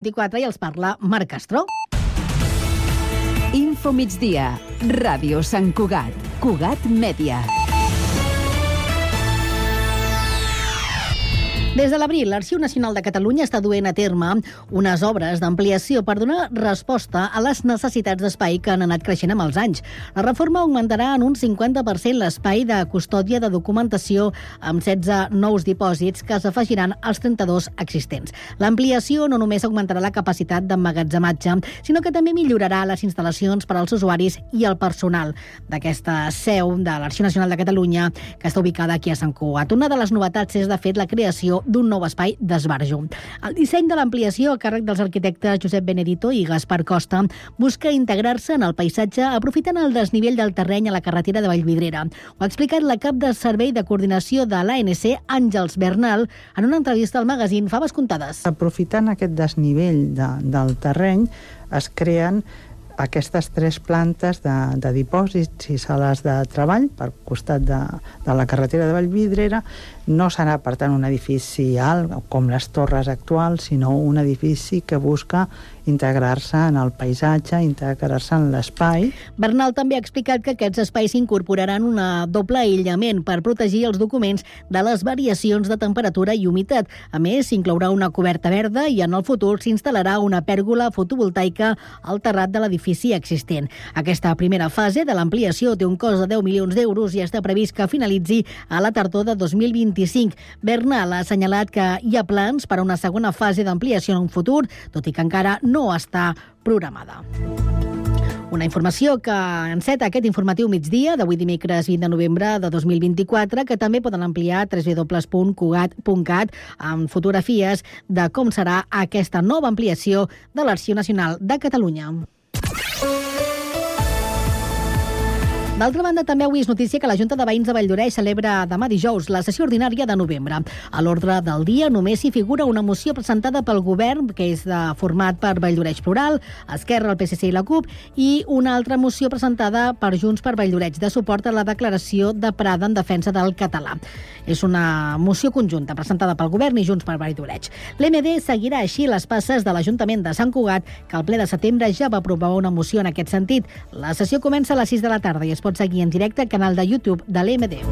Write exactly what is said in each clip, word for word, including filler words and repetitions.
vint-i-quatre i els parla Marc Castro. Info migdia, Ràdio Sant Cugat, Cugat Mèdia. Des de l'abril, l'Arxiu Nacional de Catalunya està duent a terme unes obres d'ampliació per donar resposta a les necessitats d'espai que han anat creixent amb els anys. La reforma augmentarà en un cinquanta per cent l'espai de custòdia de documentació amb setze nous dipòsits que s'afegiran als trenta-dos existents. L'ampliació no només augmentarà la capacitat d'emmagatzematge, sinó que també millorarà les instal·lacions per als usuaris i el personal d'aquesta seu de l'Arxiu Nacional de Catalunya, que està ubicada aquí a Sant Cugat. Una de les novetats és, de fet, la creació d'un nou espai d'esbarjo. El disseny de l'ampliació, a càrrec dels arquitectes Josep Benedito i Gaspar Costa, busca integrar-se en el paisatge aprofitant el desnivell del terreny a la carretera de Vallvidrera. Ho ha explicat la cap de Servei de Coordinació de l'A N C, Àngels Bernal, en una entrevista al magazín Faves Comptades. Aprofitant aquest desnivell de, del terreny, es creen aquestes tres plantes de, de dipòsits i sales de treball per costat de, de la carretera de Vallvidrera. No serà, per tant, un edifici alt, com les torres actuals, sinó un edifici que busca integrar-se en el paisatge, integrar-se en l'espai. Bernal també ha explicat que aquests espais incorporaran un doble aïllament per protegir els documents de les variacions de temperatura i humitat. A més, s'inclourà una coberta verda i en el futur s'instal·larà una pèrgola fotovoltaica al terrat de l'edifici existent. Aquesta primera fase de l'ampliació té un cost de deu milions d'euros i està previst que finalitzi a la tardor de dos mil vint-i-cinc. Bernal ha assenyalat que hi ha plans per a una segona fase d'ampliació en un futur, tot i que encara no està programada. Una informació que enceta aquest informatiu migdia d'avui dimecres vint de novembre de dos mil vint-i-quatre, que també poden ampliar a w w w punt cugat punt cat amb fotografies de com serà aquesta nova ampliació de l'Arxiu Nacional de Catalunya. D'altra banda, també avui és notícia que la Junta de Veïns de Valldoreix celebra demà dijous la sessió ordinària de novembre. A l'ordre del dia només hi figura una moció presentada pel govern, que és de format per Valldoreix Plural, Esquerra, el P S C i la CUP, i una altra moció presentada per Junts per Valldoreix, de suport a la declaració de Prada en defensa del català. És una moció conjunta presentada pel govern i Junts per Valldoreix. L'M D seguirà així les passes de l'Ajuntament de Sant Cugat, que al ple de setembre ja va aprovar una moció en aquest sentit. La sessió comença a les sis de la tarda i es pot seguir en directe al canal de YouTube de l'E M D.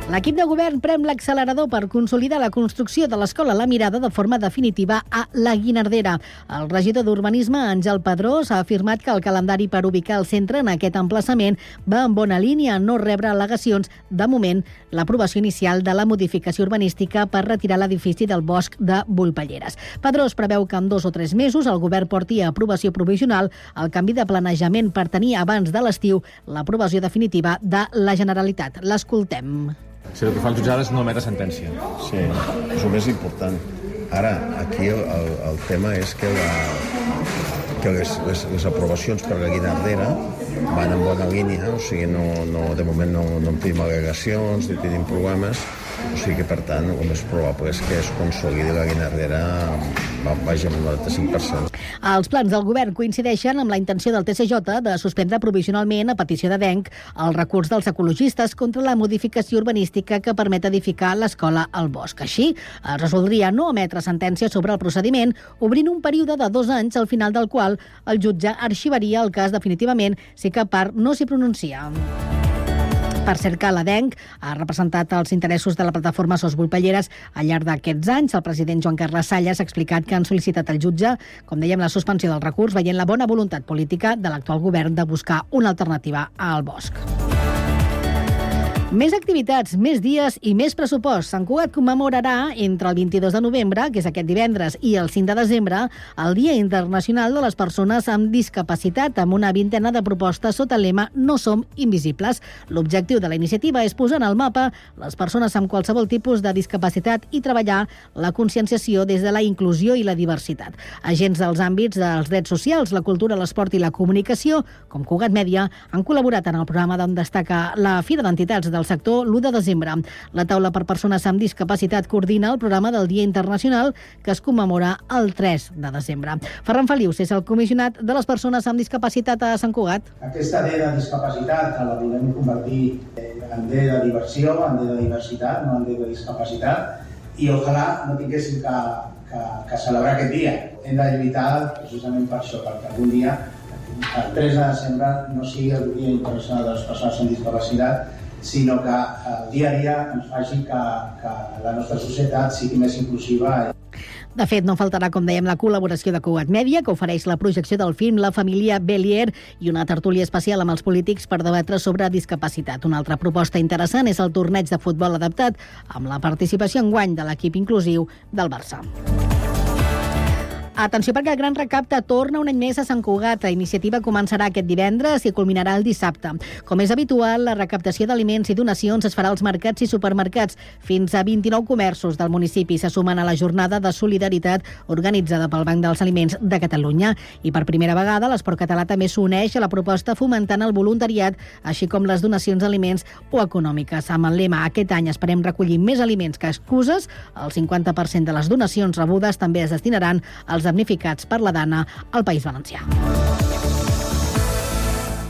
L'equip de govern prem l'accelerador per consolidar la construcció de l'Escola La Mirada de forma definitiva a la Guinardera. El regidor d'Urbanisme, Àngel Pedrós, ha afirmat que el calendari per ubicar el centre en aquest emplaçament va en bona línia a no rebre al·legacions. De moment, l'aprovació inicial de la modificació urbanística per retirar l'edifici del bosc de Volpelleres. Pedrós preveu que en dos o tres mesos el govern porti a aprovació provisional el canvi de planejament per tenir abans de l'estiu l'aprovació definitiva de la Generalitat. L'escoltem. Si el que fa el jutjat és no emetre sentència. Sí, és el més important. Ara, aquí el, el, el tema és que, la, que les, les, les aprovacions per la Guinardera van en bona línia, o sigui, no, no, de moment no, no en tenim al·legacions, ni tenim problemes, o sigui que, per tant, el més probable és que es consolidi la Guinardera vagi amb el noranta-cinc per cent. Els plans del govern coincideixen amb la intenció del T S J de suspendre provisionalment, a petició de D E N C, el recurs dels ecologistes contra la modificació urbanística que permet edificar l'escola al bosc. Així, es resoldria no emetre sentència sobre el procediment, obrint un període de dos anys, al final del qual el jutge arxivaria el cas definitivament si cap part no s'hi pronuncia. Per cert que la D E N C ha representat els interessos de la plataforma Sos Volpelleres al llarg d'aquests anys. El president Joan Carles Salles ha explicat que han sol·licitat al jutge, com dèiem, la suspensió del recurs, veient la bona voluntat política de l'actual govern de buscar una alternativa al bosc. Més activitats, més dies i més pressupost. Sant Cugat commemorarà entre el vint-i-dos de novembre, que és aquest divendres, i el cinc de desembre, el Dia Internacional de les Persones amb Discapacitat, amb una vintena de propostes sota el lema No som invisibles. L'objectiu de la iniciativa és posar en el mapa les persones amb qualsevol tipus de discapacitat i treballar la conscienciació des de la inclusió i la diversitat. Agents dels àmbits dels drets socials, la cultura, l'esport i la comunicació, com Cugat Mèdia, han col·laborat en el programa d'on destaca la Fira d'Entitats del sector l'u de desembre. La taula per persones amb discapacitat coordina el programa del Dia Internacional, que es commemora el tres de desembre. Ferran Felius és el comissionat de les persones amb discapacitat a Sant Cugat. Aquesta D de discapacitat la volem convertir en D de diversió, en D de diversitat, no en D de discapacitat, i ojalà no tinguéssim que, que, que celebrar aquest dia. Hem de lluitar precisament per això, perquè algun dia, el tres de desembre, no sigui el Dia Internacional de les Persones amb Discapacitat, sinó que el dia a dia ens faci que, que la nostra societat sigui més inclusiva. De fet, no faltarà, com dèiem, la col·laboració de Cugat Mèdia, que ofereix la projecció del film La família Bélier i una tertúlia especial amb els polítics per debatre sobre discapacitat. Una altra proposta interessant és el torneig de futbol adaptat, amb la participació enguany de l'equip inclusiu del Barça. Atenció, perquè el Gran Recapte torna un any més a Sant Cugat. La iniciativa començarà aquest divendres i culminarà el dissabte. Com és habitual, la recaptació d'aliments i donacions es farà als mercats i supermercats. Fins a vint-i-nou comerços del municipi se sumen a la jornada de solidaritat organitzada pel Banc dels Aliments de Catalunya. I per primera vegada, l'Esport Català també s'uneix a la proposta fomentant el voluntariat, així com les donacions d'aliments o econòmiques. Amb el lema "Aquest any esperem recollir més aliments que excuses", el cinquanta per cent de les donacions rebudes també es destinaran als damnificats per la Dana al País Valencià.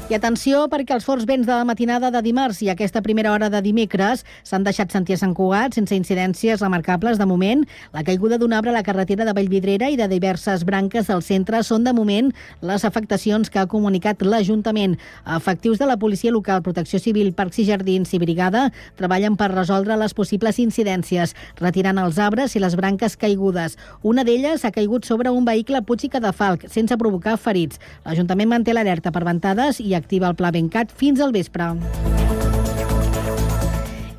I atenció, perquè els forts vents de la matinada de dimarts i aquesta primera hora de dimecres s'han deixat sentir a Sant Cugat sense incidències remarcables de moment. La caiguda d'un arbre a la carretera de Vallvidrera i de diverses branques del centre són de moment les afectacions que ha comunicat l'Ajuntament. Efectius de la Policia Local, Protecció Civil, Parcs i Jardins i Brigada treballen per resoldre les possibles incidències, retirant els arbres i les branques caigudes. Una d'elles ha caigut sobre un vehicle a Puig i Cadafalc, sense provocar ferits. L'Ajuntament manté l'alerta per ventades i activa el pla Bencat fins al vespre.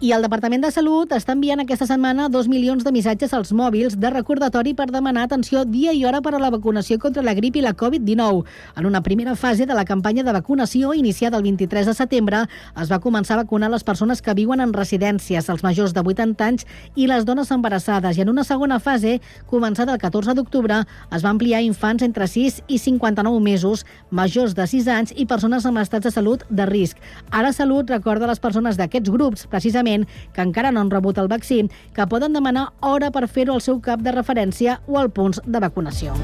I el Departament de Salut està enviant aquesta setmana dos milions de missatges als mòbils de recordatori per demanar atenció dia i hora per a la vacunació contra la grip i la covid dinou. En una primera fase de la campanya de vacunació, iniciada el vint-i-tres de setembre, es va començar a vacunar les persones que viuen en residències, els majors de vuitanta anys i les dones embarassades. I en una segona fase, començada el catorze d'octubre, es va ampliar a infants entre sis i cinquanta-nou mesos, majors de sis anys i persones amb estats de salut de risc. Ara Salut recorda a les persones d'aquests grups, precisament, que encara no han rebut el vaccí, que poden demanar hora per fer-ho al seu cap de referència o al punts de vacunació.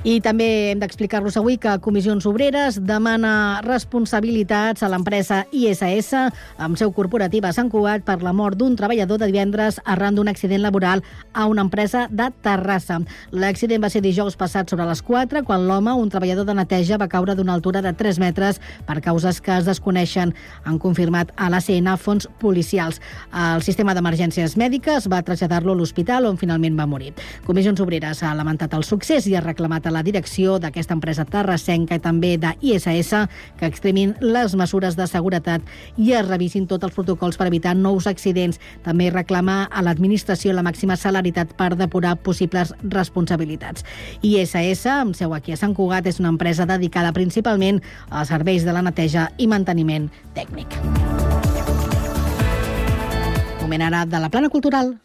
I també hem d'explicar-los avui que Comissions Obreres demana responsabilitats a l'empresa I S S amb seu corporativa a Sant Cugat per la mort d'un treballador de divendres arran d'un accident laboral a una empresa de Terrassa. L'accident va ser dijous passat sobre les quatre, quan l'home, un treballador de neteja, va caure d'una altura de tres metres per causes que es desconeixen. Han confirmat a l'A C N fons policials. El sistema d'emergències mèdiques va traslladar-lo a l'hospital, on finalment va morir. Comissions Obreres ha lamentat el succés i ha reclamat a la direcció d'aquesta empresa terrassenca i també de I S S que extremin les mesures de seguretat i es revisin tots els protocols per evitar nous accidents. També reclama a l'administració la màxima celeritat per depurar possibles responsabilitats. I S S, amb seu aquí a Sant Cugat, és una empresa dedicada principalment als serveis de la neteja i manteniment tècnic. Moment ara de la plana cultural.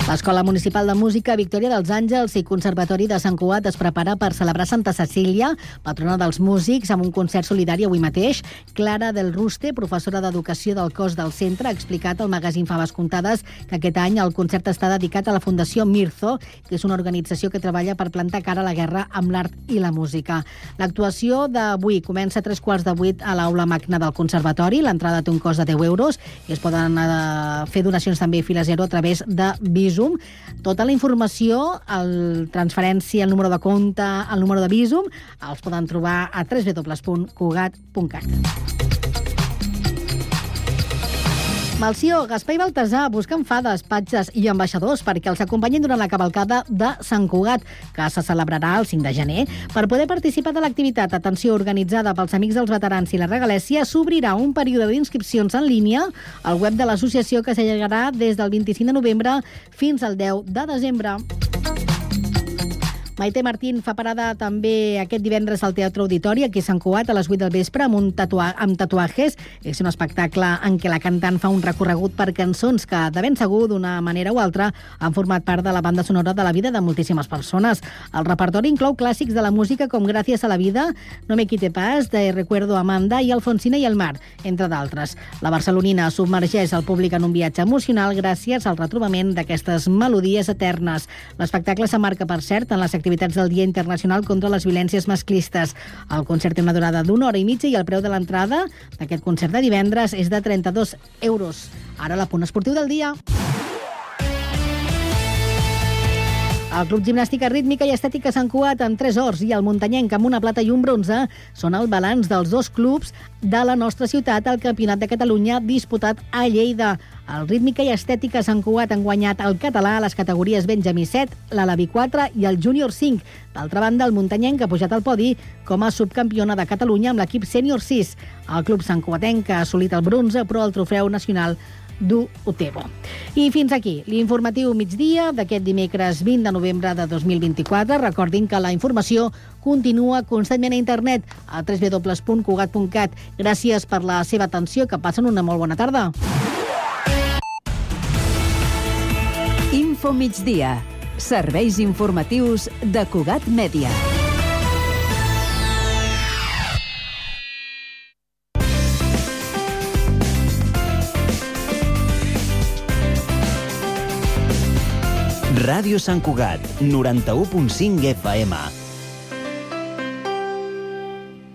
L'Escola Municipal de Música Victòria dels Àngels i Conservatori de Sant Cugat es prepara per celebrar Santa Cecília, patrona dels músics, amb un concert solidari avui mateix. Clara del Ruste, professora d'Educació del cos del centre, ha explicat al magazín Faves Comptades que aquest any el concert està dedicat a la Fundació Mirzo, que és una organització que treballa per plantar cara a la guerra amb l'art i la música. L'actuació d'avui comença a tres quarts de vuit a l'aula magna del Conservatori. L'entrada té un cost de deu euros i es poden eh, fer donacions també fila zero a través de Visum. Tota la informació, el transferència, el número de compte, el número de Visum, els poden trobar a w w w punt cugat punt cat. Malció, Gaspar i Baltasar busquen fades, patges i ambaixadors perquè els acompanyin durant la cavalcada de Sant Cugat, que se celebrarà el cinc de gener. Per poder participar de l'activitat, atenció, organitzada pels Amics dels Veterans i la Regalèssia, s'obrirà un període d'inscripcions en línia al web de l'associació que s'allargarà des del vint-i-cinc de novembre fins al deu de desembre. Maite Martín fa parada també aquest divendres al Teatre Auditori, aquí a Sant Cugat, a les vuit del vespre, amb, un tatua amb tatuatges. És un espectacle en què la cantant fa un recorregut per cançons que, de ben segur, d'una manera o altra, han format part de la banda sonora de la vida de moltíssimes persones. El repertori inclou clàssics de la música com Gràcies a la vida, No me quite pas, de Recuerdo Amanda i Alfonsina i el mar, entre d'altres. La barcelonina submergeix el públic en un viatge emocional gràcies al retrobament d'aquestes melodies eternes. L'espectacle s'emmarca, per cert, en les activitats activitats del Dia Internacional contra les Violències Masclistes. El concert té una durada d'una hora i mitja i el preu de l'entrada d'aquest concert de divendres és de trenta-dos euros. Ara l'apunt esportiu del dia. El Club Gimnàstica Rítmica i Estètica Sant Cugat amb tres ors i el Muntanyenc amb una plata i un bronze són el balanç dels dos clubs de la nostra ciutat al Campionat de Catalunya disputat a Lleida. El Rítmica i Estètica Sant Cugat han guanyat el català a les categories Benjamí set, l'Alaví quatre i el Júnior cinc. D'altra banda, el Muntanyenc ha pujat al podi com a subcampiona de Catalunya amb l'equip Sènior sis. El club santcugatenc ha assolit el bronze, però el trofeu nacional du Utebo. I fins aquí l'informatiu migdia d'aquest dimecres vint de novembre de dos mil vint-i-quatre. Recordin que la informació continua constantment a internet a w w w punt cugat punt cat. Gràcies per la seva atenció, que passen una molt bona tarda. Info migdia. Serveis informatius de Cugat Mèdia. Ràdio Sant Cugat, noranta-u punt cinc F M.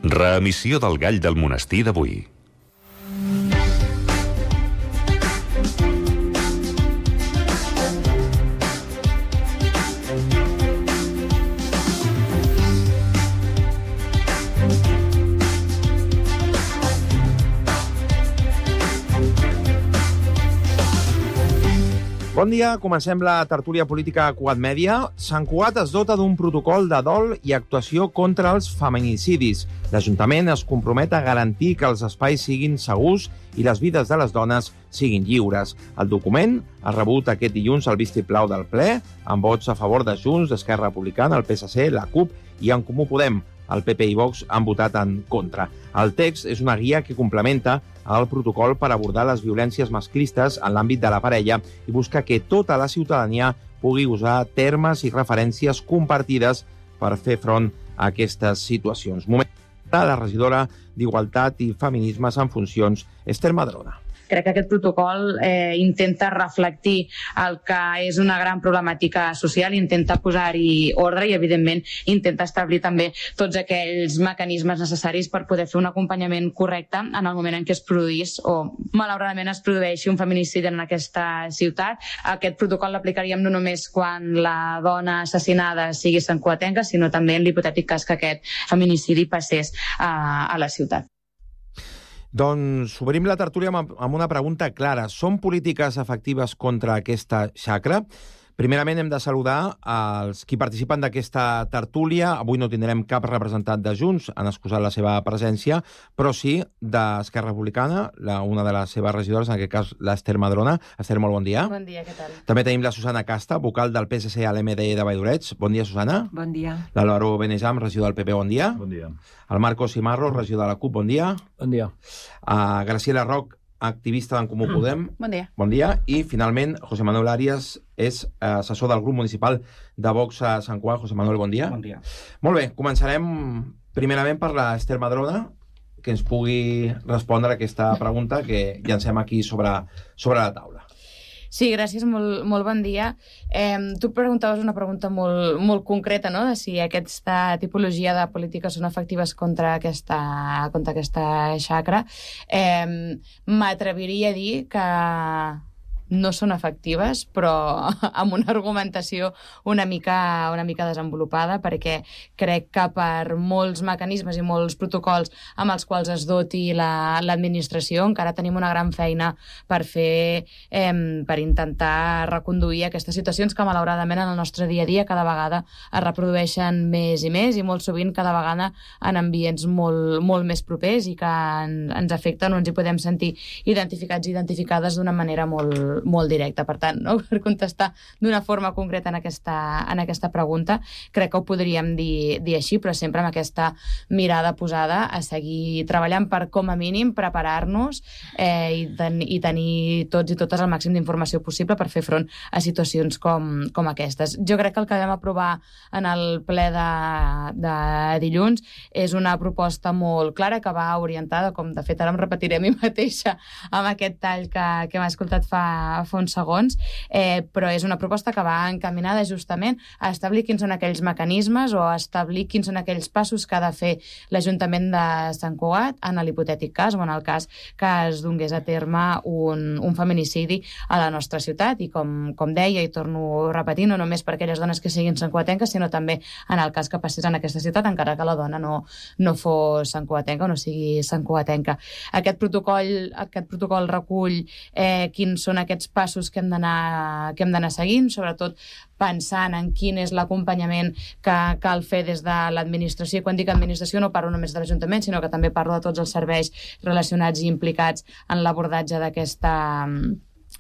Reemissió del Gall del Monestir d'avui. Bon dia, comencem la tertúlia política a Cugat Mèdia. Sant Cugat es dota d'un protocol de dol i actuació contra els feminicidis. L'Ajuntament es compromet a garantir que els espais siguin segurs i les vides de les dones siguin lliures. El document ha rebut aquest dilluns el vistiplau del ple, amb vots a favor de Junts, d'Esquerra Republicana, el P S C, la CUP i En Comú Podem. El P P i Vox han votat en contra. El text és una guia que complementa el protocol per abordar les violències masclistes en l'àmbit de la parella i busca que tota la ciutadania pugui usar termes i referències compartides per fer front a aquestes situacions. Moment de la regidora d'Igualtat i Feminismes en funcions, Esther Madrona. Crec que aquest protocol eh, intenta reflectir el que és una gran problemàtica social, intenta posar-hi ordre i, evidentment, intenta establir també tots aquells mecanismes necessaris per poder fer un acompanyament correcte en el moment en què es produís o, malauradament, es produeixi un feminicidi en aquesta ciutat. Aquest protocol l'aplicaríem no només quan la dona assassinada sigui santcugatenca, sinó també en l'hipotètic cas que aquest feminicidi passés a, a la ciutat. Doncs obrim la tertúlia amb una pregunta clara. Són polítiques efectives contra aquesta xacra? Primerament hem de saludar els qui participen d'aquesta tertúlia. Avui no tindrem cap representant de Junts, han excusat la seva presència, però sí d'Esquerra Republicana, la, una de les seves regidores, en aquest cas l'Esther Madrona. Esther, molt bon dia. Bon dia, què tal? També tenim la Susana Casta, vocal del P S C a l'M D E de Valldoreix. Bon dia, Susana. Bon dia. L'Álvaro Benejam, regidor del P P, bon dia. Bon dia. El Marco Simarro, regidor de la CUP, bon dia. Bon dia. Uh, Graciela Roc, activista d'en Comú Podem. Bon dia. Bon dia. I, finalment, José Manuel Arias és assessor del grup municipal de Vox a Sant Cugat. José Manuel, bon dia. Bon dia. Molt bé, començarem primerament per l'Esther Madrona, que ens pugui respondre a aquesta pregunta que llancem aquí sobre, sobre la taula. Sí, gràcies, molt, molt bon dia. Eh, tu preguntaves una pregunta molt, molt concreta, no?, de si aquesta tipologia de polítiques són efectives contra aquesta, contra aquesta xacra. Eh, M'atreviria a dir que no són efectives, però amb una argumentació una mica, una mica desenvolupada, perquè crec que per molts mecanismes i molts protocols amb els quals es doti l'administració, la, encara tenim una gran feina per fer, eh, per intentar reconduir aquestes situacions que malauradament en el nostre dia a dia cada vegada es reprodueixen més i més i molt sovint cada vegada en ambients molt, molt més propers i que en, ens afecten o ens hi podem sentir identificats i identificades d'una manera molt, molt directa. Per tant, no? Per contestar d'una forma concreta en aquesta, en aquesta pregunta, crec que ho podríem dir, dir així, però sempre amb aquesta mirada posada a seguir treballant per, com a mínim, preparar-nos eh, i, ten, i tenir tots i totes el màxim d'informació possible per fer front a situacions com, com aquestes. Jo crec que el que vam aprovar en el ple de, de dilluns és una proposta molt clara que va orientada, com de fet ara em repetiré a mi mateixa amb aquest tall que, que hem escoltat fa fa uns segons, eh, però és una proposta que va encaminada justament a establir quins són aquells mecanismes o a establir quins són aquells passos que ha de fer l'Ajuntament de Sant Cugat en l'hipotètic cas o en el cas que es donés a terme un, un feminicidi a la nostra ciutat. I com, com deia, i torno a repetir, no només per aquelles dones que siguin santcugatenques, sinó també en el cas que passés en aquesta ciutat, encara que la dona no, no fos santcugatenca o no sigui santcugatenca. Aquest protocol, aquest protocol recull eh, quins són aquests passos que hem d'anar que hem d'anar seguint, sobretot pensant en quin és l'acompanyament que cal fer des de l'administració. I quan dic administració no parlo només de l'Ajuntament, sinó que també parlo de tots els serveis relacionats i implicats en l'abordatge d'aquesta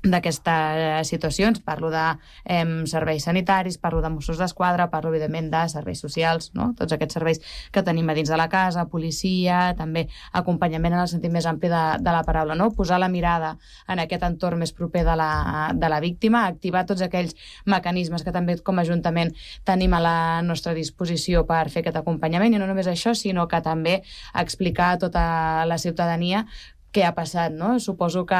d'aquestes situacions. Parlo de eh, serveis sanitaris, parlo de Mossos d'Esquadra, parlo, evidentment, de serveis socials, no? Tots aquests serveis que tenim a dins de la casa, policia, també acompanyament en el sentit més ampli de, de la paraula, no? Posar la mirada en aquest entorn més proper de la, de la víctima, activar tots aquells mecanismes que també com a Ajuntament tenim a la nostra disposició per fer aquest acompanyament, i no només això, sinó que també explicar a tota la ciutadania què ha passat, no? Suposo que,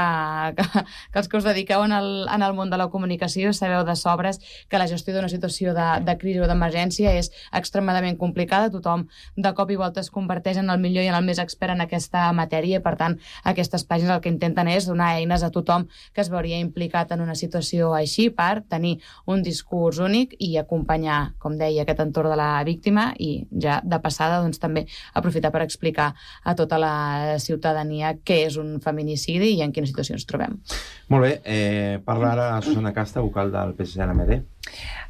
que, que els que us dediqueu en el, en el món de la comunicació sabeu de sobres que la gestió d'una situació de, de crisi o d'emergència és extremadament complicada. Tothom de cop i volta es converteix en el millor i en el més expert en aquesta matèria, i per tant aquestes pàgines el que intenten és donar eines a tothom que es veuria implicat en una situació així per tenir un discurs únic i acompanyar, com deia, aquest entorn de la víctima, i ja de passada doncs, també aprofitar per explicar a tota la ciutadania què és un feminicidi i en quina situació ens trobem. Molt bé, eh, parla ara Susana Casta, vocal del P S C N M D.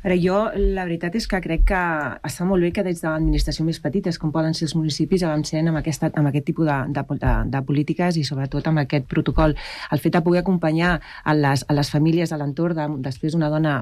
Ara, jo, la veritat és que crec que està molt bé que des de l'administració més petites, com poden ser els municipis, avancem amb, aquesta, amb aquest tipus de, de, de, de polítiques i sobretot amb aquest protocol. El fet de poder acompanyar a les, a les famílies a l'entorn de, després d'una dona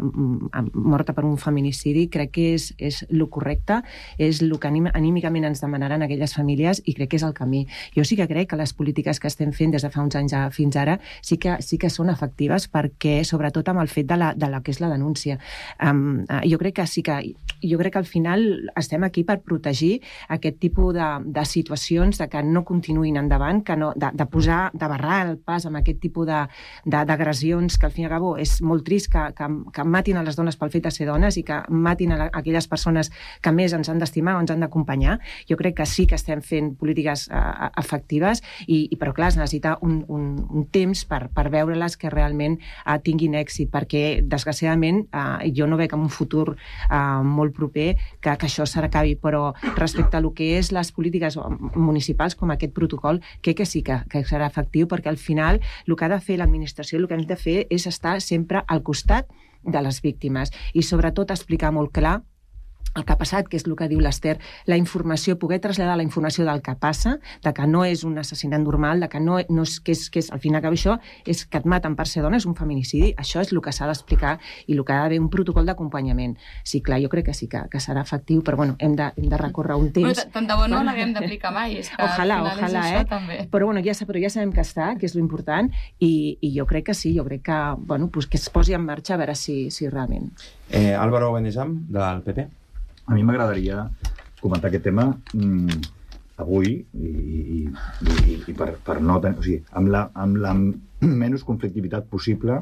morta per un feminicidi, crec que és, és lo correcte, és el que anim, anímicament ens demanaran aquelles famílies, i crec que és el camí. Jo sí que crec que les polítiques que estem fent des de fa uns anys fins ara sí que, sí que són efectives, perquè sobretot amb el fet de la, de la que és la denúncia. Um, uh, jo crec que sí que jo crec que al final estem aquí per protegir aquest tipus de, de situacions, de que no continuïn endavant, que no, de, de posar, de barrar el pas amb aquest tipus d'agressions, que al fin i al cabo és molt trist que, que, que matin a les dones pel fet de ser dones i que matin a, la, a aquelles persones que més ens han d'estimar o ens han d'acompanyar. Jo crec que sí que estem fent polítiques uh, efectives, i, i però clar, es necessita un, un, un temps per, per veure-les que realment uh, tinguin èxit, perquè desgraciadament uh, jo no veig en un futur uh, molt proper que, que això s'acabi, però respecte a lo que és les polítiques municipals com aquest protocol, crec que sí que, que serà efectiu, perquè al final el que ha de fer l'administració, el que hem de fer és estar sempre al costat de les víctimes i sobretot explicar molt clar el que ha passat, que és el que diu l'Ester, la informació, poder traslladar la informació del que passa, de que no és un assassinat normal, de que no, no és, que és, que és, al final que això és que et maten per ser dona, és un feminicidi. Això és el que s'ha d'explicar i el que ha d'haver un protocol d'acompanyament. Sí, clar, jo crec que sí que, que serà efectiu, però bueno, hem de, hem de recórrer un temps. Bueno, tant de bo no l'haguem d'aplicar mai, és que ojalà, al final ojalà, és eh? això també. Però bueno, ja, però ja sabem que està, que és l'important, i, i jo crec que sí, jo crec que, bueno, pues que es posi en marxa a veure si, si realment. Eh, Álvaro Benejam, del P P. A mi m'agradaria comentar aquest tema mm, avui i, i, i, i per, per no tenir... O sigui, amb la, amb la menys conflictivitat possible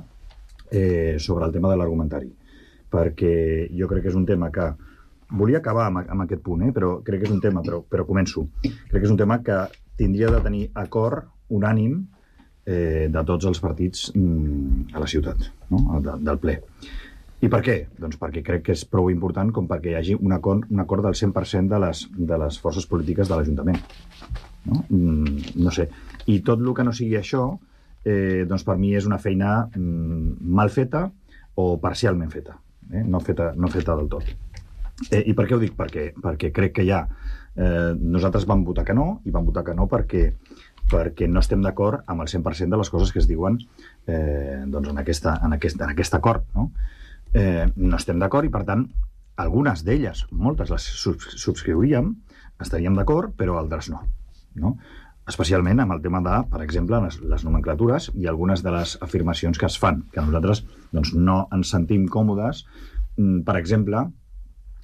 eh, sobre el tema de l'argumentari. Perquè jo crec que és un tema que... Volia acabar amb, amb aquest punt, eh, però crec que és un tema, però, però començo. Crec que és un tema que tindria de tenir acord unànim eh, de tots els partits mm, a la ciutat, no? de, del ple. I per què? Doncs perquè crec que és prou important com perquè hi hagi un acord, un acord del cent per cent de les, de les forces polítiques de l'Ajuntament. No? Mm, no sé. I tot el que no sigui això, eh, doncs per mi és una feina mm, mal feta o parcialment feta. Eh? No feta, no feta del tot. Eh, I per què ho dic? Perquè, perquè crec que ja eh, nosaltres vam votar que no, i vam votar que no perquè perquè no estem d'acord amb el cent per cent de les coses que es diuen eh, doncs en, aquesta, en, aquest, en aquest acord, no? Eh, no estem d'acord i, per tant, algunes d'elles, moltes les subscriuríem, estaríem d'acord, però altres no, no? Especialment amb el tema de, per exemple, les, les nomenclatures i algunes de les afirmacions que es fan, que nosaltres doncs, no ens sentim còmodes, per exemple,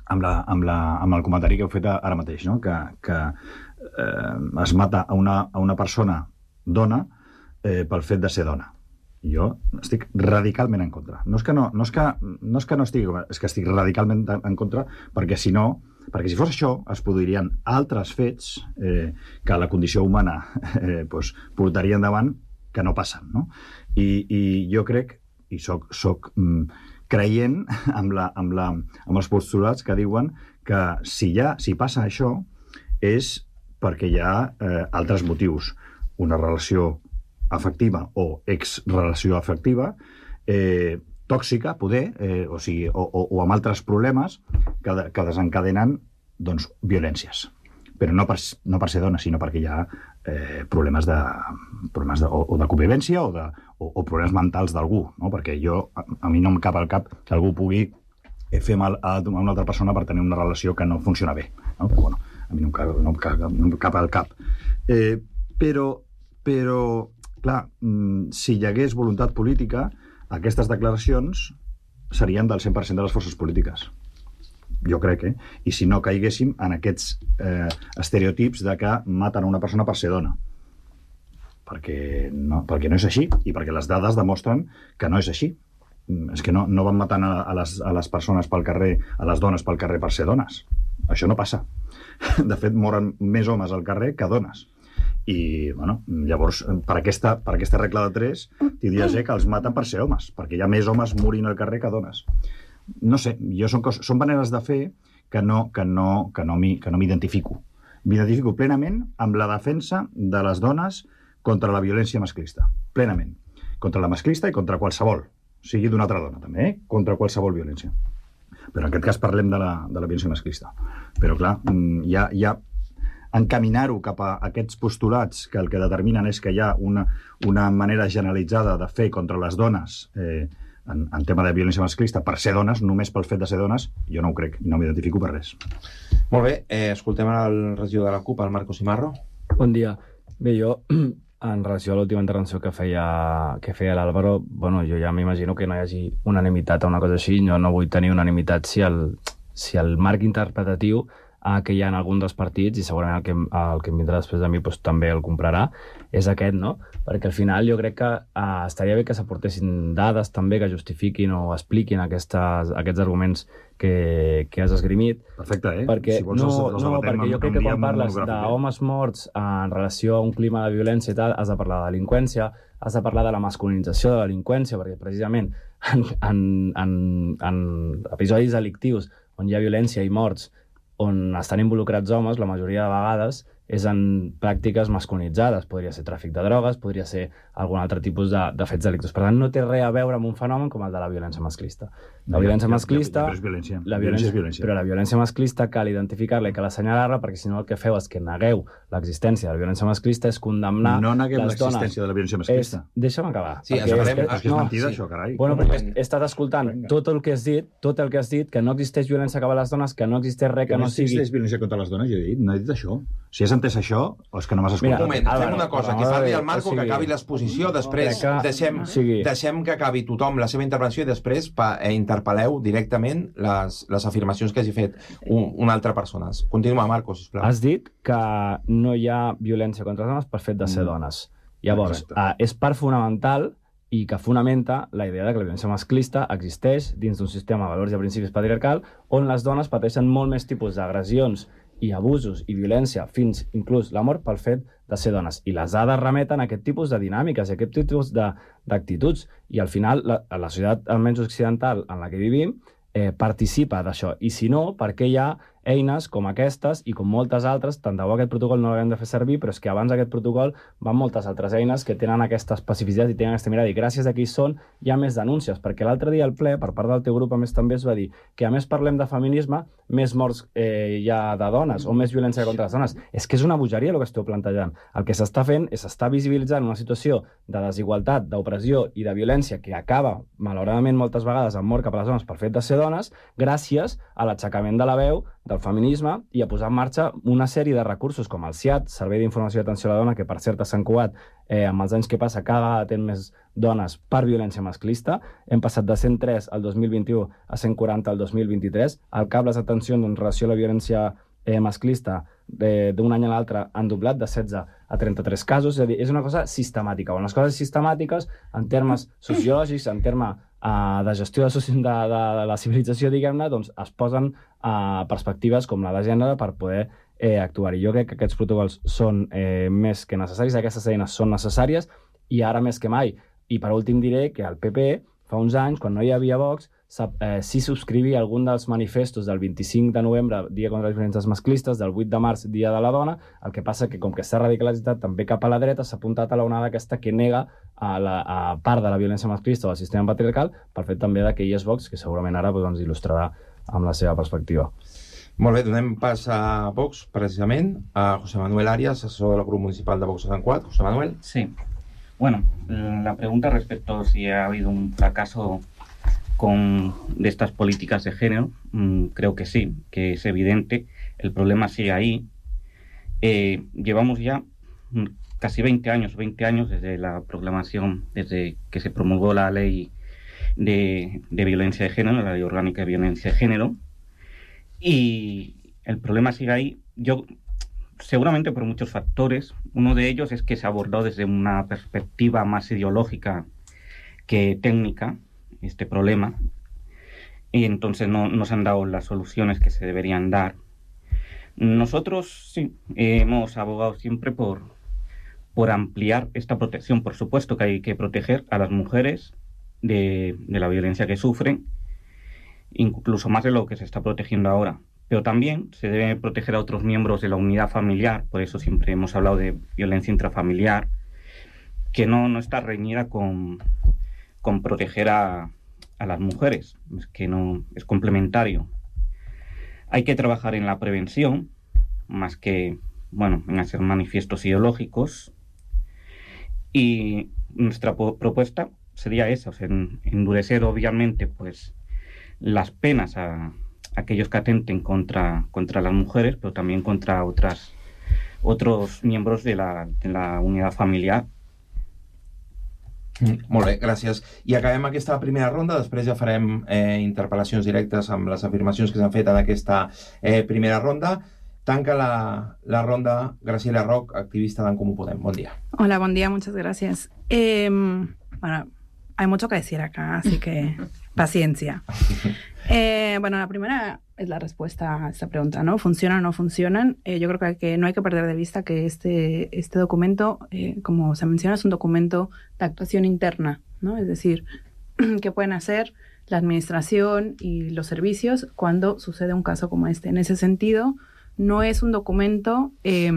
amb, la, amb, la, amb el comentari que heu fet ara mateix, no? que, que eh, es mata a una, a una persona dona eh, pel fet de ser dona. jo estic radicalment en contra. No és que no, no, és que, no, és que no estigui, és que estic radicalment en contra, perquè si no, perquè si fos això, es produirien altres fets eh, que la condició humana eh, pues, portaria endavant que no passen, no? I, i jo crec, i soc, soc mm, creient amb, la, amb, la, amb els postulats que diuen que si, ha, si passa això és perquè hi ha eh, altres motius. Una relació afectiva o exrelació afectiva, eh, tòxica, poder, eh, o, sigui, o, o, o amb altres problemes que, de, que desencadenen doncs, violències. Però no per, no per ser dona, sinó perquè hi ha eh, problemes, de, problemes de, o, o de convivència o, de, o, o problemes mentals d'algú, no? Perquè jo, a, a mi no em cap al cap que algú pugui fer mal a una altra persona per tenir una relació que no funciona bé, no? Però, bueno, a mi no em cap, no em cap, no em cap al cap. Eh, però, però, clar, si hi hagués voluntat política, aquestes declaracions serien del cent per cent de les forces polítiques. Jo crec, eh? I si no caiguéssim en aquests eh, estereotips de que maten una persona per ser dona. Perquè no, perquè no és així, i perquè les dades demostren que no és així. És que no, no van matant a, a, les, a les persones pel carrer, a les dones pel carrer per ser dones. Això no passa. De fet, moren més homes al carrer que dones. I, bueno, llavors, per aquesta, per aquesta regla de tres, tindries que els maten per ser homes, perquè hi ha més homes morint al carrer que dones. No sé, jo són, cos, són maneres de fer que no, que no, que no m'identifico. M'identifico plenament amb la defensa de les dones contra la violència masclista. Plenament. Contra la masclista i contra qualsevol. Sigui d'una altra dona, també, eh? Contra qualsevol violència. Però en aquest cas parlem de la, de la violència masclista. Però, clar, ja, ja encaminar-ho cap a aquests postulats que el que determinen és que hi ha una, una manera generalitzada de fer contra les dones eh, en, en tema de violència masclista per ser dones, només pel fet de ser dones, jo no ho crec, i no m'identifico per res. Molt bé, eh, escoltem el regidor de la CUP, el Marco Simarro. Bon dia. Bé, jo, en relació a l'última intervenció que feia, que feia l'Àlvaro, bueno, jo ja m'imagino que no hi hagi unanimitat a una cosa així, jo no vull tenir unanimitat si el, si el marc interpretatiu eh, que hi ha en algun dels partits, i segurament el que, el que em vindrà després de mi doncs, també el comprarà, és aquest, no? Perquè al final jo crec que eh, estaria bé que s'aportessin dades també que justifiquin o expliquin aquestes, aquests arguments que, que has esgrimit. Perfecte, eh? Perquè, si vols, no, els, els no, perquè jo crec que quan parles d'homes eh? morts en relació a un clima de violència i tal, has de parlar de delinqüència, has de parlar de la masculinització de la delinqüència, perquè precisament en, en, en, en episodis delictius on hi ha violència i morts, on estan involucrats homes, la majoria de vegades és en pràctiques masculinitzades. Podria ser tràfic de drogues, podria ser algun altre tipus de, de fets delictius. Per tant, no té res a veure amb un fenomen com el de la violència masclista. La violència masclista... Però és violència. La violència és violència. Però la violència masclista cal identificar-la i cal assenyalar-la, perquè si no el que feu és que negueu l'existència de la violència masclista, és condemnar no neguem les dones. l'existència de la violència masclista. És... Deixa'm acabar. Sí, és, farem... és, és, és mentida, sí. Això, carai. Bueno, però he estat escoltant tot el que has dit, tot el que has dit, que no existeix violència cap a les dones, que no existeix res que, que no, no sigui... Que no existeix violència contra les dones, jo he dit, no he dit això. Si has entès això, o és que no m'has escoltat. Un moment, fem una cosa, que parli el Marco, que acabi l'exposició, després deixem, deixem que acabi tothom la seva intervenció i després interpel·leu directament les, les afirmacions que hagi fet un, una altra persona. Continua, Marco, sisplau. Has dit que no hi ha violència contra les dones per fet de ser dones. Llavors, eh, és part fonamental i que fonamenta la idea de que la violència masclista existeix dins d'un sistema de valors i principis patriarcal on les dones pateixen molt més tipus d'agressions i abusos i violència, fins inclús la mort pel fet de ser dones. I les dades remeten a aquest tipus de dinàmiques, a aquest tipus d'actituds. I al final, la, la societat, almenys occidental, en la que vivim, eh, participa d'això. I si no, per què hi ha eines com aquestes i com moltes altres, tant de bo aquest protocol no l'haguem de fer servir, però és que abans d'aquest protocol van moltes altres eines que tenen aquesta especificitat i tenen aquesta mirada, i gràcies a qui hi són hi ha més denúncies, perquè l'altre dia al ple, per part del teu grup, a més també es va dir que a més parlem de feminisme, més morts eh, hi ha de dones, o més violència contra les dones. És que és una bogeria el que esteu plantejant. El que s'està fent és s'està visibilitzant una situació de desigualtat, d'opressió i de violència que acaba, malauradament, moltes vegades amb mort cap a les dones per fet de ser dones, gràcies a l'aixecament de la veu del feminisme i a posar en marxa una sèrie de recursos com el S I A D, Servei d'Informació i Atenció a la Dona, que per cert a Sant Cugat, eh, amb els anys que passa, cada vegada atén més dones per violència masclista. Hem passat de cent tres al dos mil vint-i-u a cent quaranta al dos mil vint-i-tres. El CAP les atencions en relació a la violència eh, masclista eh, d'un any a l'altre han doblat de setze a trenta-tres casos, és a dir, és una cosa sistemàtica. Bueno, les coses sistemàtiques, en termes sociològics, en termes uh, de gestió de, de, de, de la civilització, diguem-ne, doncs es posen uh, perspectives com la de gènere per poder eh, actuar. I jo crec que aquests protocols són eh, més que necessaris, aquestes eines són necessàries, i ara més que mai. I per últim diré que el P P, fa uns anys, quan no hi havia Vox, eh, sí subscrivia algun dels manifestos del vint-i-cinc de novembre, Dia contra les Violències Masclistes, del vuit de març, Dia de la Dona, el que passa que, com que s'ha radicalitzat també cap a la dreta, s'ha apuntat a l'onada aquesta que nega a, la, a part de la violència masclista o del sistema patriarcal, per fet també que hi és Vox, que segurament ara doncs, ens il·lustrarà amb la seva perspectiva. Molt bé, donem pas a Vox, precisament, a José Manuel Arias, assessor del grup municipal de Vox a Sant Cugat. José Manuel. Sí. Bueno, la pregunta respecto a si ha habido un fracaso con, de estas políticas de género, mmm, creo que sí, que es evidente. El problema sigue ahí. Eh, llevamos ya casi veinte años, veinte años desde la proclamación, desde que se promulgó la ley de, de violencia de género, la ley orgánica de violencia de género, y el problema sigue ahí. Yo... Seguramente por muchos factores. Uno de ellos es que se abordó desde una perspectiva más ideológica que técnica este problema, y entonces no, no se han dado las soluciones que se deberían dar. Nosotros sí hemos abogado siempre por, por ampliar esta protección. Por supuesto que hay que proteger a las mujeres de, de la violencia que sufren, incluso más de lo que se está protegiendo ahora. Pero también se debe proteger a otros miembros de la unidad familiar, por eso siempre hemos hablado de violencia intrafamiliar, que no, no está reñida con, con proteger a, a las mujeres, es que no es complementario. Hay que trabajar en la prevención, más que, bueno, en hacer manifiestos ideológicos, y nuestra propuesta sería esa, o sea, en, endurecer obviamente pues las penas a aquellos que atenten contra, contra las mujeres, pero también contra otras, otros miembros de la, de la unidad familiar. Mm, molt bé, gràcies. I acabem aquesta primera ronda, després ja farem eh, interpel·lacions directes amb les afirmacions que s'han fet en aquesta eh, primera ronda. Tanca la, la ronda Graciela Roch, activista d'En Comú Podem. Bon día. Hola, buen día, muchas gracias. Eh, bueno, hay mucho que decir acá, así que paciencia. Eh, bueno, la primera es la respuesta a esta pregunta, ¿no? ¿Funcionan o no funcionan? Eh, yo creo que, hay que no hay que perder de vista que este, este documento, eh, como se menciona, es un documento de actuación interna, ¿no? Es decir, ¿qué pueden hacer la administración y los servicios cuando sucede un caso como este? En ese sentido, no es un documento... Eh,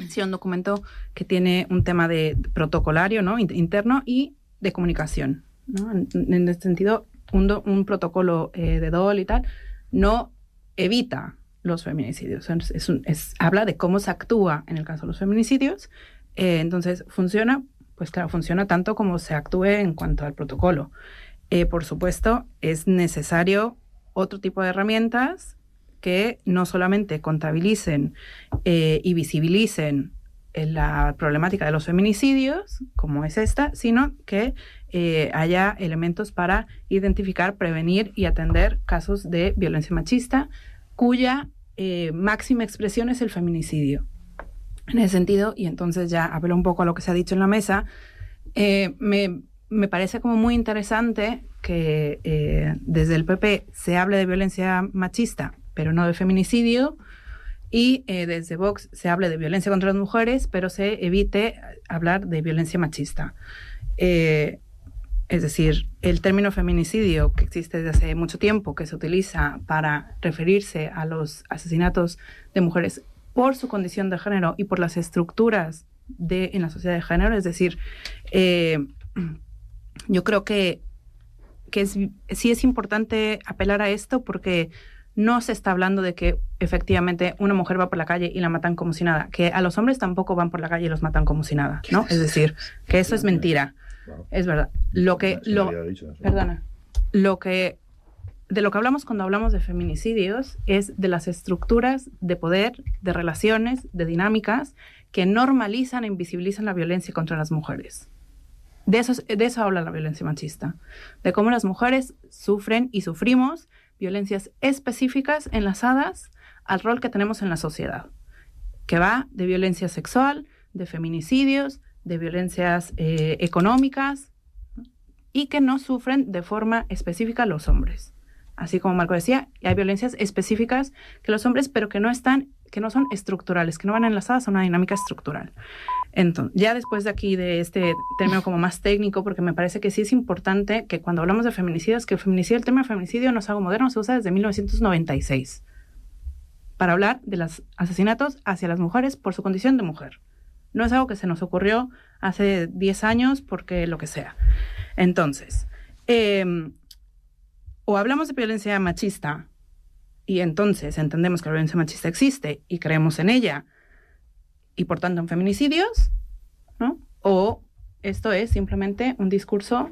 sí, un documento que tiene un tema de protocolario, ¿no? Interno y de comunicación, ¿no? En, en este sentido, un, do, un protocolo eh, de D O L y tal no evita los feminicidios. Es, es un, es, habla de cómo se actúa en el caso de los feminicidios. Eh, entonces, ¿funciona? Pues claro, funciona tanto como se actúe en cuanto al protocolo. Eh, por supuesto, es necesario otro tipo de herramientas que no solamente contabilicen eh, y visibilicen la problemática de los feminicidios, como es esta, sino que eh, haya elementos para identificar, prevenir y atender casos de violencia machista, cuya eh, máxima expresión es el feminicidio. En ese sentido, y entonces ya hablo un poco a lo que se ha dicho en la mesa, eh, me, me parece como muy interesante que eh, desde el P P se hable de violencia machista, pero no de feminicidio, y eh, desde Vox se hable de violencia contra las mujeres, pero se evite hablar de violencia machista. Eh, es decir, el término feminicidio, que existe desde hace mucho tiempo, que se utiliza para referirse a los asesinatos de mujeres por su condición de género y por las estructuras de, en la sociedad de género, es decir, eh, yo creo que, que es, sí es importante apelar a esto porque no se está hablando de que efectivamente una mujer va por la calle y la matan como si nada, que a los hombres tampoco van por la calle y los matan como si nada, ¿no? Es decir, que eso es mentira. Es verdad. Lo que, lo, perdona, lo que, de lo que hablamos cuando hablamos de feminicidios es de las estructuras de poder, de relaciones, de dinámicas que normalizan e invisibilizan la violencia contra las mujeres. De eso, de eso habla la violencia machista, de cómo las mujeres sufren y sufrimos violencias específicas enlazadas al rol que tenemos en la sociedad, que va de violencia sexual, de feminicidios, de violencias eh, económicas, ¿no? Y que no sufren de forma específica los hombres. Así como Marco decía, hay violencias específicas que los hombres, pero que no están, que no son estructurales, que no van enlazadas a una dinámica estructural. Entonces, ya después de aquí, de este término como más técnico, porque me parece que sí es importante que cuando hablamos de feminicidios, que el feminicidio, el término feminicidio no es algo moderno, se usa desde mil novecientos noventa y seis para hablar de los asesinatos hacia las mujeres por su condición de mujer. No es algo que se nos ocurrió hace diez años porque lo que sea. Entonces, eh, o hablamos de violencia machista y entonces entendemos que la violencia machista existe y creemos en ella y por tanto en feminicidios, ¿no? O esto es simplemente un discurso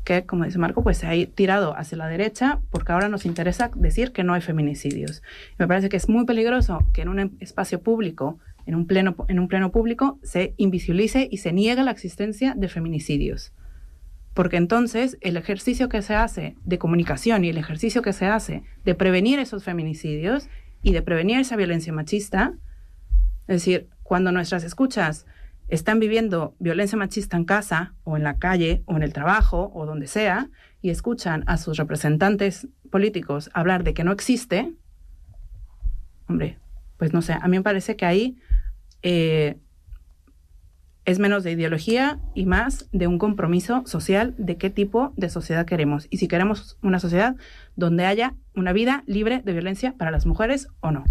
que, como dice Marco, pues se ha tirado hacia la derecha porque ahora nos interesa decir que no hay feminicidios. Y me parece que es muy peligroso que en un espacio público, en un pleno, en un pleno público, se invisibilice y se niegue la existencia de feminicidios. Porque entonces el ejercicio que se hace de comunicación y el ejercicio que se hace de prevenir esos feminicidios y de prevenir esa violencia machista, es decir, cuando nuestras escuchas están viviendo violencia machista en casa o en la calle o en el trabajo o donde sea y escuchan a sus representantes políticos hablar de que no existe, hombre, pues no sé, a mí me parece que ahí eh, es menos de ideología y más de un compromiso social de qué tipo de sociedad queremos. Y si queremos una sociedad donde haya una vida libre de violencia para las mujeres o no.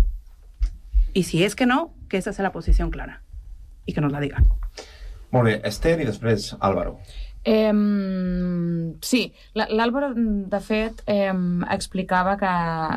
Y si es que no, que esa sea la posición clara. Y que nos la digan. Molt bé, Esther i després Álvaro. Eh, sí, l'Àlvaro, de fet, eh, explicava que,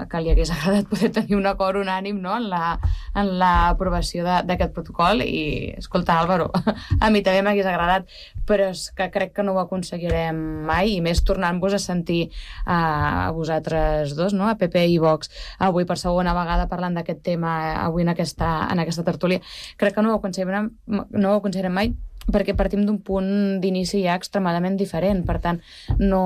que li hagués agradat poder tenir un acord unànim, no?, en la, en l'aprovació d'aquest protocol i, escolta, Àlvaro, a mi també m'hagués agradat, però és que crec que no ho aconseguirem mai, i més tornant-vos a sentir a, a vosaltres dos, no?, a P P i Vox, avui per segona vegada parlant d'aquest tema, avui en aquesta, en aquesta tertúlia. Crec que no ho aconseguirem, no ho aconseguirem mai, perquè partim d'un punt d'inici ja extremadament diferent. Per tant, no,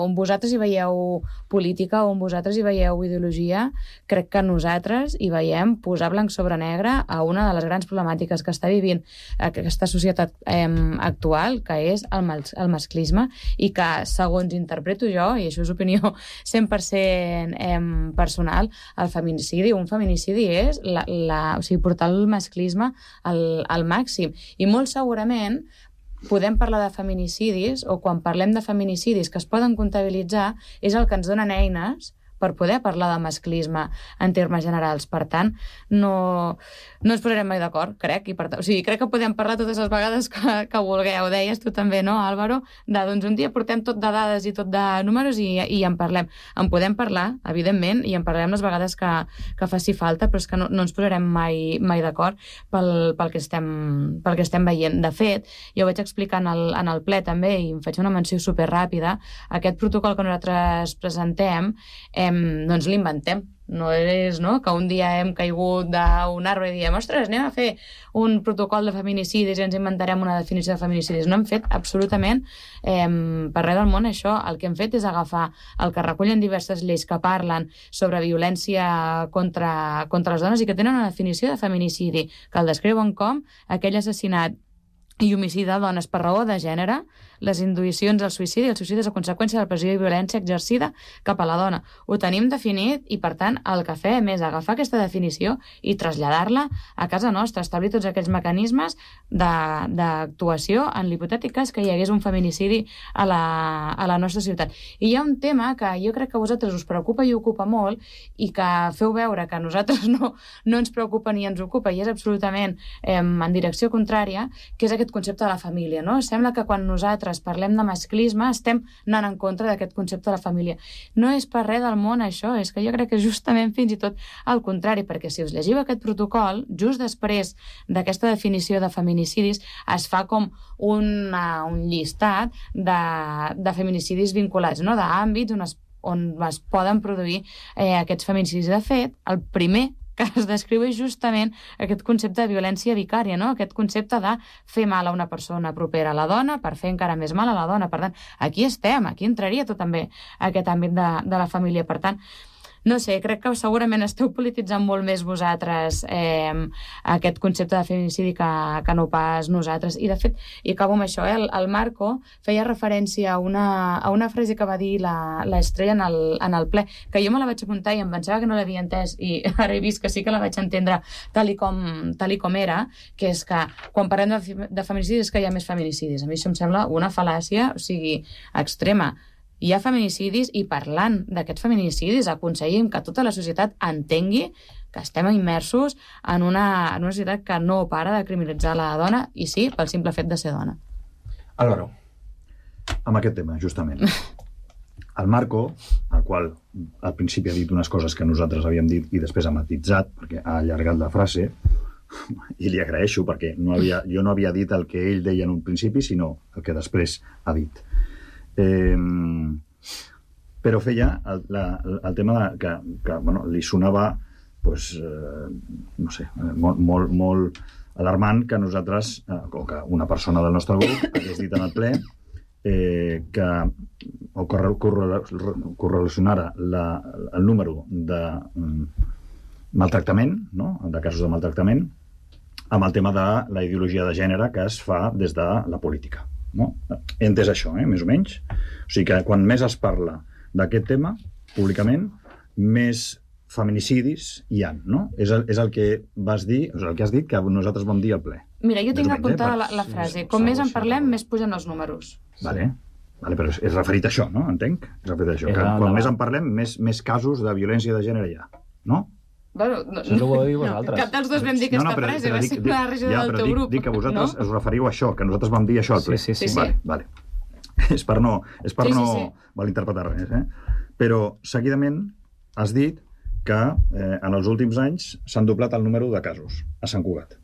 on vosaltres hi veieu política o on vosaltres hi veieu ideologia, crec que nosaltres hi veiem posar blanc sobre negre a una de les grans problemàtiques que està vivint aquesta societat eh, actual, que és el, mas el masclisme, i que, segons interpreto jo, i això és opinió cent per cent eh, personal, el feminicidi, un feminicidi és la, la, o sigui, portar el masclisme al, al màxim. I molt segurament podem parlar de feminicidis, o quan parlem de feminicidis que es poden comptabilitzar, és el que ens donen eines per poder parlar de masclisme en termes generals. Per tant, no, no ens posarem mai d'acord, crec. I per o sigui, crec que podem parlar totes les vegades que, que vulgueu. Deies tu també, no, Álvaro? De, doncs un dia portem tot de dades i tot de números i, i en parlem. En podem parlar, evidentment, i en parlem les vegades que, que faci falta, però és que no, no ens posarem mai, mai d'acord pel, pel, que estem, pel que estem veient. De fet, jo ho vaig explicar en el, en el ple també, i em faig una menció superràpida, aquest protocol que nosaltres presentem, eh, doncs l'inventem. No és, no?, que un dia hem caigut d'un arbre i diem, ostres, anem a fer un protocol de feminicidis i ens inventarem una definició de feminicidis. No hem fet absolutament eh, per res del món això. El que hem fet és agafar el que recullen diverses lleis que parlen sobre violència contra, contra les dones i que tenen una definició de feminicidi, que el descriuen com aquell assassinat i homicidi de dones per raó de gènere, les induïcions al suïcidi, el suïcidi és a conseqüència de la pressió i violència exercida cap a la dona. Ho tenim definit i, per tant, el que fem és agafar aquesta definició i traslladar-la a casa nostra, establir tots aquells mecanismes d'actuació en l'hipotètic cas que hi hagués un feminicidi a la, a la nostra ciutat. I hi ha un tema que jo crec que a vosaltres us preocupa i ocupa molt i que feu veure que a nosaltres no, no ens preocupa ni ens ocupa i és absolutament eh, en direcció contrària, que és aquest concepte de la família, no? Sembla que quan nosaltres parlem de masclisme estem anant en contra d'aquest concepte de la família. No és per res del món això, és que jo crec que justament fins i tot al contrari, perquè si us llegiu aquest protocol, just després d'aquesta definició de feminicidis es fa com una, un llistat de, de feminicidis vinculats, no?, d'àmbits on es, on es poden produir eh, aquests feminicidis. De fet, el primer que es descriu és justament aquest concepte de violència vicària, no? Aquest concepte de fer mal a una persona propera a la dona per fer encara més mal a la dona. Per tant, aquí estem, aquí entraria tot també aquest àmbit de, de la família. Per tant, no sé, crec que segurament esteu polititzant molt més vosaltres eh, aquest concepte de feminicidi que, que no pas nosaltres. I, de fet, i acabo amb això, eh, el, el Marco feia referència a una, a una frase que va dir l'Estrella en, el, en el ple, que jo me la vaig apuntar i em pensava que no l'havia entès, i ara he vist que sí que la vaig entendre tal i com, tal i com era, que és que quan parlem de, de feminicidis és que hi ha més feminicidis. A mi això em sembla una fal·làcia, o sigui, extrema. Hi ha feminicidis i parlant d'aquests feminicidis aconseguim que tota la societat entengui que estem immersos en una, en una societat que no para de criminalitzar la dona, i sí, pel simple fet de ser dona. Álvaro. Amb aquest tema, justament. El Marco, al qual al principi ha dit unes coses que nosaltres havíem dit i després ha matitzat, perquè ha allargat la frase, i li agraeixo, perquè no havia, jo no havia dit el que ell deia en un principi, sinó el que després ha dit. Eh, però feia el, la, el tema de, que, que bueno, li sonava pues, eh, no sé, molt, molt, molt alarmant que nosaltres, eh, o que una persona del nostre grup hagués dit en el ple eh, que o correlacionara la, el número de um, maltractament, no? de casos de maltractament, amb el tema de la ideologia de gènere que es fa des de la política. No? He entès això, eh? més o menys. O sigui que quan més es parla d'aquest tema, públicament, més feminicidis hi ha, no? És el, és el que vas dir, o sigui, el que has dit que nosaltres vam dir al ple. Mira, jo tinc apuntada la, la frase. Com més en parlem, més pugen els números. Vale. Vale, però és referit a això, no? Entenc? És referit a això. Que quan més en parlem, més, més casos de violència de gènere hi ha, no? Bueno, no, això no ho dir vosaltres. Cap dels dos vam dir aquesta no, no, però, frase, però, va ser una regió ja, del teu dic, grup. Dic que vosaltres no? us referiu a això, que nosaltres vam dir això al ple. Sí, sí, sí. Vale, vale. És per no, és per sí, no sí, sí. malinterpretar res. Eh? Però, seguidament, has dit que eh, en els últims anys s'han doblat el número de casos a Sant Cugat.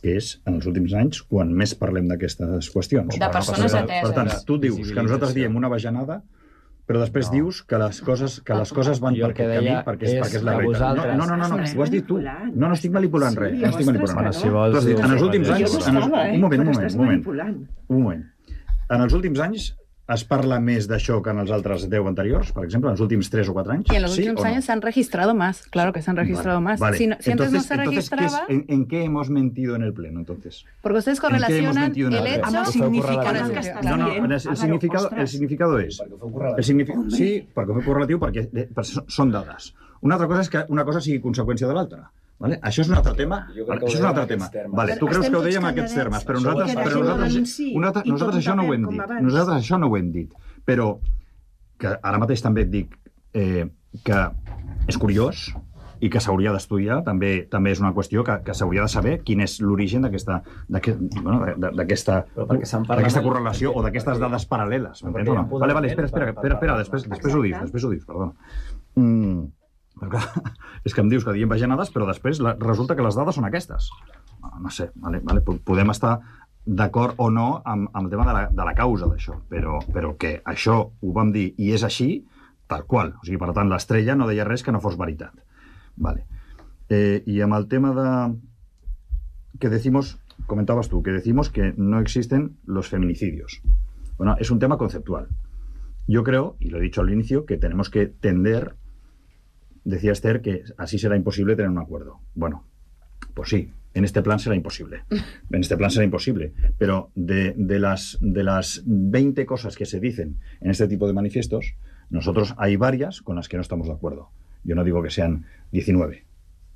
Que és, en els últims anys, quan més parlem d'aquestes qüestions. De persones ateses. Per tant, tu dius que nosaltres diem una bajanada, però després no. dius que les coses, que les coses van per aquest camí perquè és, perquè és la realitat. No, no, no, no, ho has dit tu. No, no estic manipulant res. No estic manipulant res. Tu has dit, en els últims anys... Un moment, un moment, un moment. Un moment. En els últims anys es parla més d'això que en els altres deu anteriors, per exemple, en els últims tres o quatre anys? Y en los ¿sí últimos años no? se han registrado más, claro que se han registrado vale, más. Vale. Si, no, si entonces, antes no se entonces, registraba... ¿qué es, en, ¿En qué hemos mentido en el pleno, entonces? Porque ustedes correlacionan el, el hecho... Amb el significat que està no, no, dient. El, el, significado, el significado és... El significado, sí, perquè fue correlatiu, perquè, perquè són dades. Una altra cosa és que una cosa sigui conseqüència de l'altra. Vale? Això és un altre tema. Vale? Això és un altre tema. Vale. Tu creus que ho dèiem en aquests termes, però nosaltres, però nosaltres, nosaltres, nosaltres això no ho hem dit. Nosaltres això no ho hem dit. Però que ara mateix també et dic eh, que és curiós i que s'hauria d'estudiar, també també és una qüestió que, que s'hauria de saber quin és l'origen d'aquesta bueno, d'aquesta correlació o d'aquestes dades paral·leles. M'entens o no? Vale, vale, espera, espera, espera, espera després, després ho dius, després ho dius, perdona. Mm, però clar, és que em dius que diem bajanades, però després la, resulta que les dades són aquestes. No, no sé, vale, vale, podem estar d'acord o no amb, amb el tema de la, de la causa d'això, però, però que això ho vam dir i és així, tal qual. O sigui, per tant, l'Estrella no deia res que no fos veritat. Vale. Eh, y amb el tema de... que decimos, comentabas tú, que decimos que no existen los feminicidios. Bueno, es un tema conceptual. Yo creo, y lo he dicho al inicio, que tenemos que tender, decía Esther, que así será imposible tener un acuerdo. Bueno, pues sí, en este plan será imposible. En este plan será imposible. Pero de, de, las, de las veinte cosas que se dicen en este tipo de manifiestos, nosotros hay varias con las que no estamos de acuerdo. Yo no digo que sean diecinueve,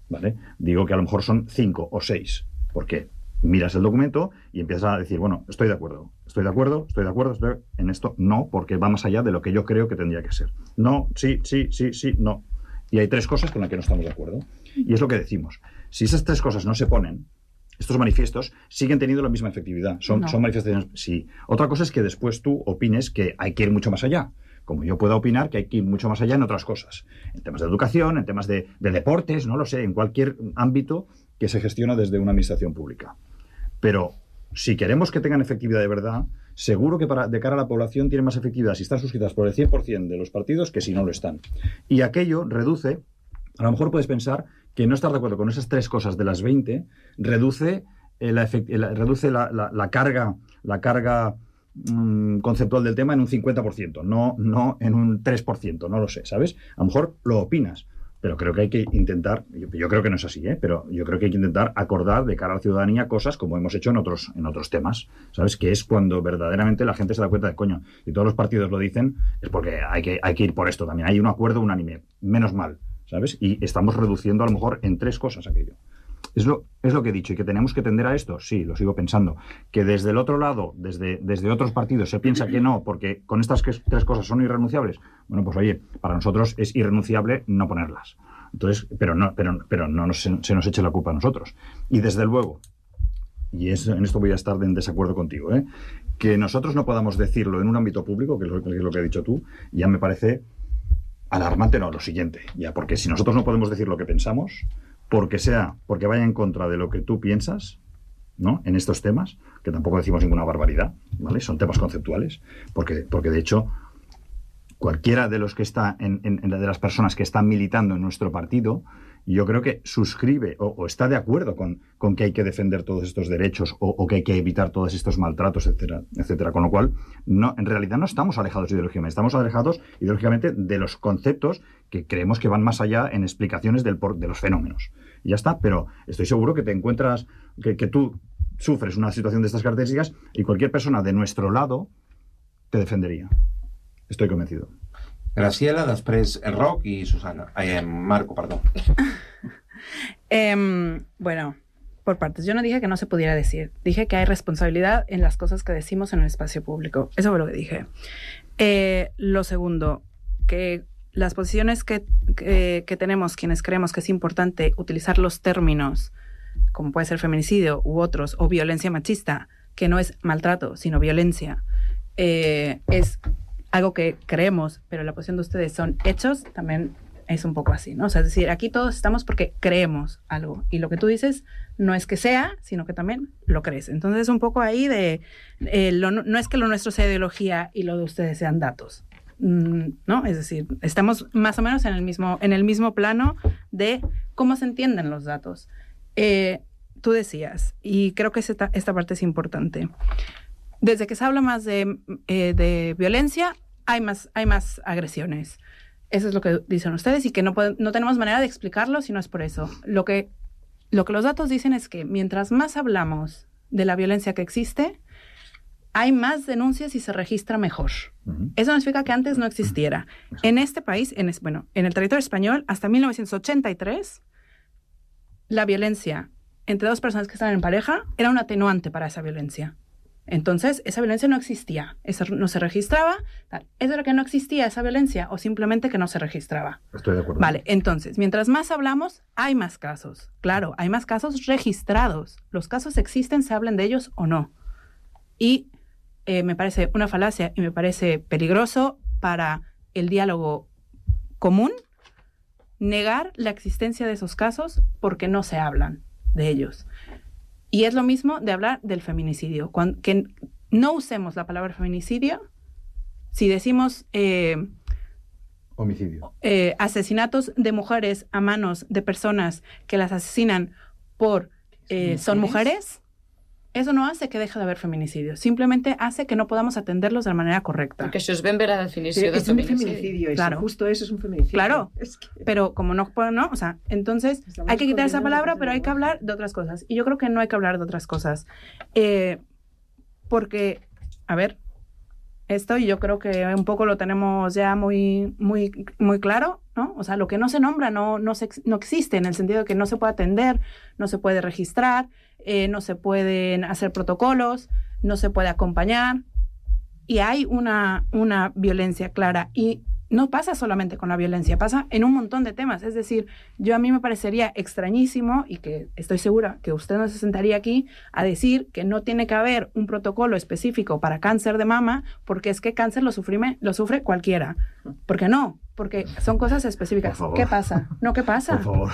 ¿vale? Digo que a lo mejor son cinco o seis, porque miras el documento y empiezas a decir, bueno, estoy de acuerdo, estoy de acuerdo, estoy de acuerdo, estoy... en esto no, porque va más allá de lo que yo creo que tendría que ser. No, sí, sí, sí, sí, no. Y hay tres cosas con las que no estamos de acuerdo. Y es lo que decimos. Si esas tres cosas no se ponen, estos manifiestos siguen teniendo la misma efectividad. Son, no. son manifestaciones, sí. Otra cosa es que después tú opines que hay que ir mucho más allá. Como yo puedo opinar que hay que ir mucho más allá en otras cosas. En temas de educación, en temas de, de deportes, no lo sé, en cualquier ámbito que se gestiona desde una administración pública. Pero si queremos que tengan efectividad de verdad, seguro que para, de cara a la población tienen más efectividad si están suscritas por el cien por ciento de los partidos que si no lo están. Y aquello reduce, a lo mejor puedes pensar que no estar de acuerdo con esas tres cosas de las veinte reduce, eh, la, efect, la, reduce la, la, la carga, la carga mmm, conceptual del tema en un cincuenta por ciento, no, no en un tres por ciento, no lo sé, ¿sabes? A lo mejor lo opinas, pero creo que hay que intentar, yo, yo creo que no es así, ¿eh? Pero yo creo que hay que intentar acordar de cara a la ciudadanía cosas como hemos hecho en otros, en otros temas, ¿sabes? Que es cuando verdaderamente la gente se da cuenta de, coño, y todos los partidos lo dicen, es porque hay que, hay que ir por esto también. Hay un acuerdo unánime, menos mal, ¿sabes? Y estamos reduciendo a lo mejor en tres cosas aquello. Es lo, es lo que he dicho, y que tenemos que tender a esto, sí, lo sigo pensando. Que desde el otro lado, desde, desde otros partidos, se piensa que no, porque con estas que, tres cosas son irrenunciables. Bueno, pues oye, para nosotros es irrenunciable no ponerlas. Entonces, pero no, pero, pero no nos, se nos eche la culpa a nosotros. Y desde luego, y es, en esto voy a estar en desacuerdo contigo, ¿eh? Que nosotros no podamos decirlo en un ámbito público, que es lo que, es lo que has dicho tú, ya me parece alarmante, no, lo siguiente. Ya, porque si nosotros no podemos decir lo que pensamos, porque sea, porque vaya en contra de lo que tú piensas, ¿no? En estos temas, que tampoco decimos ninguna barbaridad, ¿vale? Son temas conceptuales, porque, porque de hecho, cualquiera de los que está en, en, en de las personas que están militando en nuestro partido, yo creo que suscribe o, o está de acuerdo con, con que hay que defender todos estos derechos o, o que hay que evitar todos estos maltratos, etcétera, etcétera. Con lo cual, no, en realidad no estamos alejados ideológicamente, estamos alejados ideológicamente de los conceptos que creemos que van más allá en explicaciones del, de los fenómenos. Y ya está, pero estoy seguro que te encuentras, que, que tú sufres una situación de estas características y cualquier persona de nuestro lado te defendería. Estoy convencido. Graciela, després Roc y Susana. Eh, Marco, perdón. eh, bueno, por partes. Yo no dije que no se pudiera decir. Dije que hay responsabilidad en las cosas que decimos en el espacio público. Eso fue lo que dije. Eh, lo segundo, que las posiciones que, que, que tenemos, quienes creemos que es importante utilizar los términos, como puede ser feminicidio u otros, o violencia machista, que no es maltrato, sino violencia, eh, es algo que creemos, pero la posición de ustedes son hechos, también es un poco así, ¿no? O sea, es decir, aquí todos estamos porque creemos algo, y lo que tú dices no es que sea, sino que también lo crees. Entonces, un poco ahí de, eh, lo, no es que lo nuestro sea ideología y lo de ustedes sean datos, ¿no? Es decir, estamos más o menos en el mismo, en el mismo plano de cómo se entienden los datos. Eh, tú decías, y creo que esta, esta parte es importante, desde que se habla más de, eh, de violencia, hay más, hay más agresiones. Eso es lo que dicen ustedes y que no, pueden, no tenemos manera de explicarlo si no es por eso. Lo que, lo que los datos dicen es que mientras más hablamos de la violencia que existe, hay más denuncias y se registra mejor. Uh-huh. Eso no significa que antes no existiera. Uh-huh. En este país, en, bueno, en el territorio español, hasta mil novecientos ochenta y tres, la violencia entre dos personas que están en pareja era un atenuante para esa violencia. Entonces, esa violencia no existía, eso no se registraba. Tal. ¿Eso era que no existía esa violencia o simplemente que no se registraba? Estoy de acuerdo. Vale, entonces, mientras más hablamos, hay más casos. Claro, hay más casos registrados. Los casos existen, se hablen de ellos o no. Y eh, me parece una falacia y me parece peligroso para el diálogo común negar la existencia de esos casos porque no se hablan de ellos. Y es lo mismo de hablar del feminicidio. Cuando, que no usemos la palabra feminicidio si decimos eh, homicidio. Eh, asesinatos de mujeres a manos de personas que las asesinan por eh, son mujeres. Eso no hace que deje de haber feminicidio. Simplemente hace que no podamos atenderlos de la manera correcta. Porque això es ben bé la definició de feminicidio. Es un feminicidio, eso, claro. Justo eso es un feminicidio. Claro, es que... pero como no, no, o sea, entonces Estamos hay que quitar esa palabra, pero hay que hablar de otras cosas. Y yo creo que no hay que hablar de otras cosas. Eh, porque, a ver, esto yo creo que un poco lo tenemos ya muy, muy, muy claro, ¿no? O sea, lo que no se nombra no, no, se, no existe, en el sentido de que no se puede atender, no se puede registrar, eh, no se pueden hacer protocolos, no se puede acompañar, y hay una, una violencia clara. Y no pasa solamente con la violencia, pasa en un montón de temas. Es decir, yo a mí me parecería extrañísimo, y que estoy segura que usted no se sentaría aquí a decir que no tiene que haber un protocolo específico para cáncer de mama, porque es que cáncer lo, sufrime, lo sufre cualquiera. ¿Por qué no? Porque son cosas específicas. ¿Qué pasa? No, ¿qué pasa? Por favor.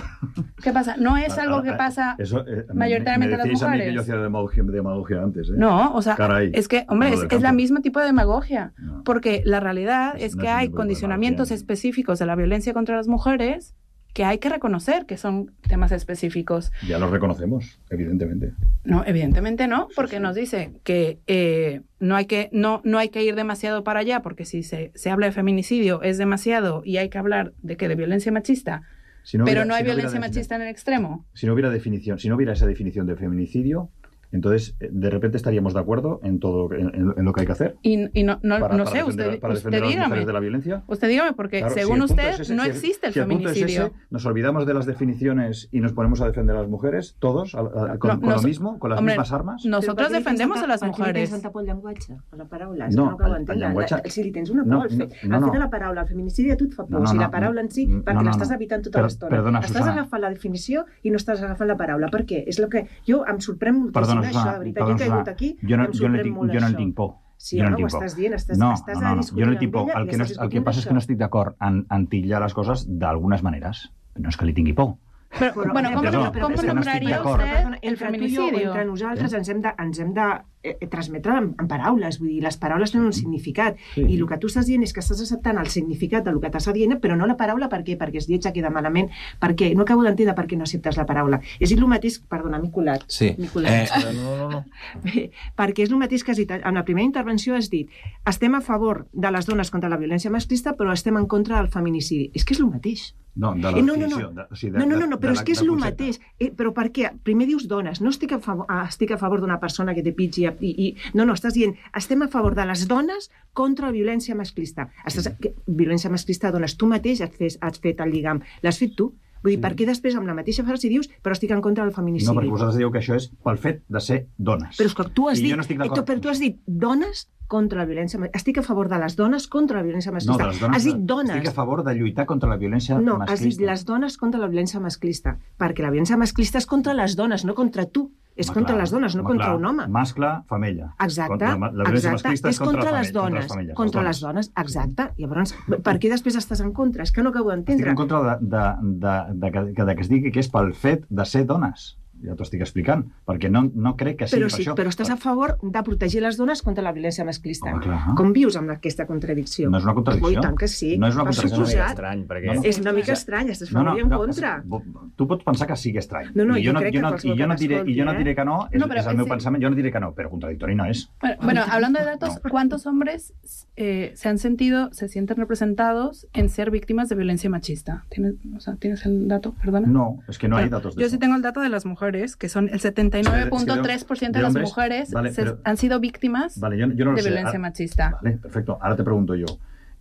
¿Qué pasa? No es algo que pasa Eso, eh, mayoritariamente me, me a las mujeres. A mí que yo hacía demagogia, demagogia antes, ¿eh? No, o sea, Caray, es que, hombre, es, es la misma tipo de demagogia. No. Porque la realidad Es es no que es hay un tipo de condicionamientos demagogia. específicos de la violencia contra las mujeres que hay que reconocer que son temas específicos. Ya los reconocemos, evidentemente. No, evidentemente no, porque sí, sí. nos dice que, eh, no, hay que no, no hay que ir demasiado para allá, porque si se, se habla de feminicidio es demasiado y hay que hablar de que de violencia machista, si no hubiera, pero no hay si no violencia machista en el extremo. Si no hubiera definición, si no hubiera esa definición de feminicidio, entonces, de repente estaríamos de acuerdo en todo en, en lo que hay que hacer. Y, y no, no, para, no para sé, defender, usted, para usted defender dígame. A las mujeres de la violencia. Usted dígame, porque claro, según si usted ese, no si existe el, si el feminicidio. Es ese, nos olvidamos de las definiciones y nos ponemos a defender a las mujeres, todos, a, a, con, no, con nos, lo mismo, con las hombre, mismas armas. Nosotros defendemos a las mujeres. Per què pel llenguatge, a la paraula? No, no el, el llenguatge... Si li tens una por, no, al fer, no, no, al no. fer de la paraula, el feminiciidi a tu et fa por, no, no, si no, la paraula en si, no, perquè no, no, l'estàs no. evitant tota Per, l'estona. Perdona, estàs Susana. agafant la definició i no estàs agafant la paraula. Per què? És el que... Jo em sorprèn moltíssim perdona, això, Susana, de veritat. perdona, Jo he caigut aquí jo no, i em sorprèn tinc, molt jo no això. en tinc por. Sí, jo no, no ho estàs dient, estàs, no, estàs no, no, a no. discutir jo no tinc por. amb ella El i que, no, estàs el que passa és que no estic d'acord en, en titllar les coses d'algunes maneres. No és que li tingui por. Però, però, bueno, com, però, com però, nombraria no usted el entre feminicidio? Tu i jo, entre nosaltres ens hem de, ens hem de eh, transmetre en, en paraules, vull dir, les paraules tenen un significat, sí. I el que tu estàs dient és que estàs acceptant el significat del que t'està dient, però no la paraula. Per què? Perquè és lletja, queda malament, perquè no acabo d'entendre per què no acceptes la paraula. És el mateix, perdona, m'he colat. Sí. Colat. Eh, no, no, no. Bé, perquè és el mateix que has dit, en la primera intervenció has dit, estem a favor de les dones contra la violència masclista, però estem en contra del feminicidi. És que és el mateix. No, de la eh, no, no, definició. no. De, o sigui, de, no, no, no, no, però de, és que és el mateix. Eh, però per què? Primer dius dones, no estic a favor, ah, estic a favor d'una persona que te pitgi i, i... No, no, estàs dient, estem a favor de les dones contra la violència masclista. Estàs, que, violència masclista de dones. Tu mateix has fet, has fet el lligam. L'has fet tu. Vull dir, sí. Per què després amb la mateixa frase dius però estic en contra del feminicidi? No, perquè vosaltres dieu que això és pel fet de ser dones. Però és que tu has I dit, jo no estic eh, tu, però tu has dit dones contra la violència masclista. Estic a favor de les dones contra la violència masclista. No, de les dones, has dit dones. Estic a favor de lluitar contra la violència no, masclista. No, has dit les dones contra la violència masclista. Perquè la violència masclista és contra les dones, no contra tu. És home, contra clar, les dones, no home, contra clar. un home. Mascle, femella. Exacte, contra la violència exacte. masclista És contra, contra les dones, contra les, contra les dones, exacte. Llavors, per què després estàs en contra? És que no acabo d'entendre. Estic en contra de, de, de, de, de, de, de que es digui que és pel fet de ser dones. Ja t'ho estic explicant, perquè no, no crec que sigui però per sí, això. Però estàs a favor de protegir les dones contra la violència masclista. Home, clar. Com vius amb aquesta contradicció? No és una contradicció. Oh, tant que sí. No és una contradicció. contradicció. És estrany, perquè... No, no. És una mica estrany, estàs a favor i en contra. No, tu pots pensar que sigui estrany. No, no, I jo, jo no, crec jo no, que i jo no diré, I jo no diré que no, és, no, és el meu sí. pensament, jo no diré que no, però contradictori no és. Bueno, bueno hablando de datos, no. ¿Cuántos hombres eh, se han sentido, se sienten representados en ser víctimas de violencia machista? ¿Tienes, o sea, ¿tienes el dato? Perdona. No, es que no bueno, hay datos de Yo eso. sí tengo el dato de las mujeres, que son el setenta y nueve punto tres por ciento de, de, de, de las mujeres vale, se, pero, han sido víctimas vale, yo, yo no de sé. violencia Ahora, machista. Vale, perfecto. Ahora te pregunto yo,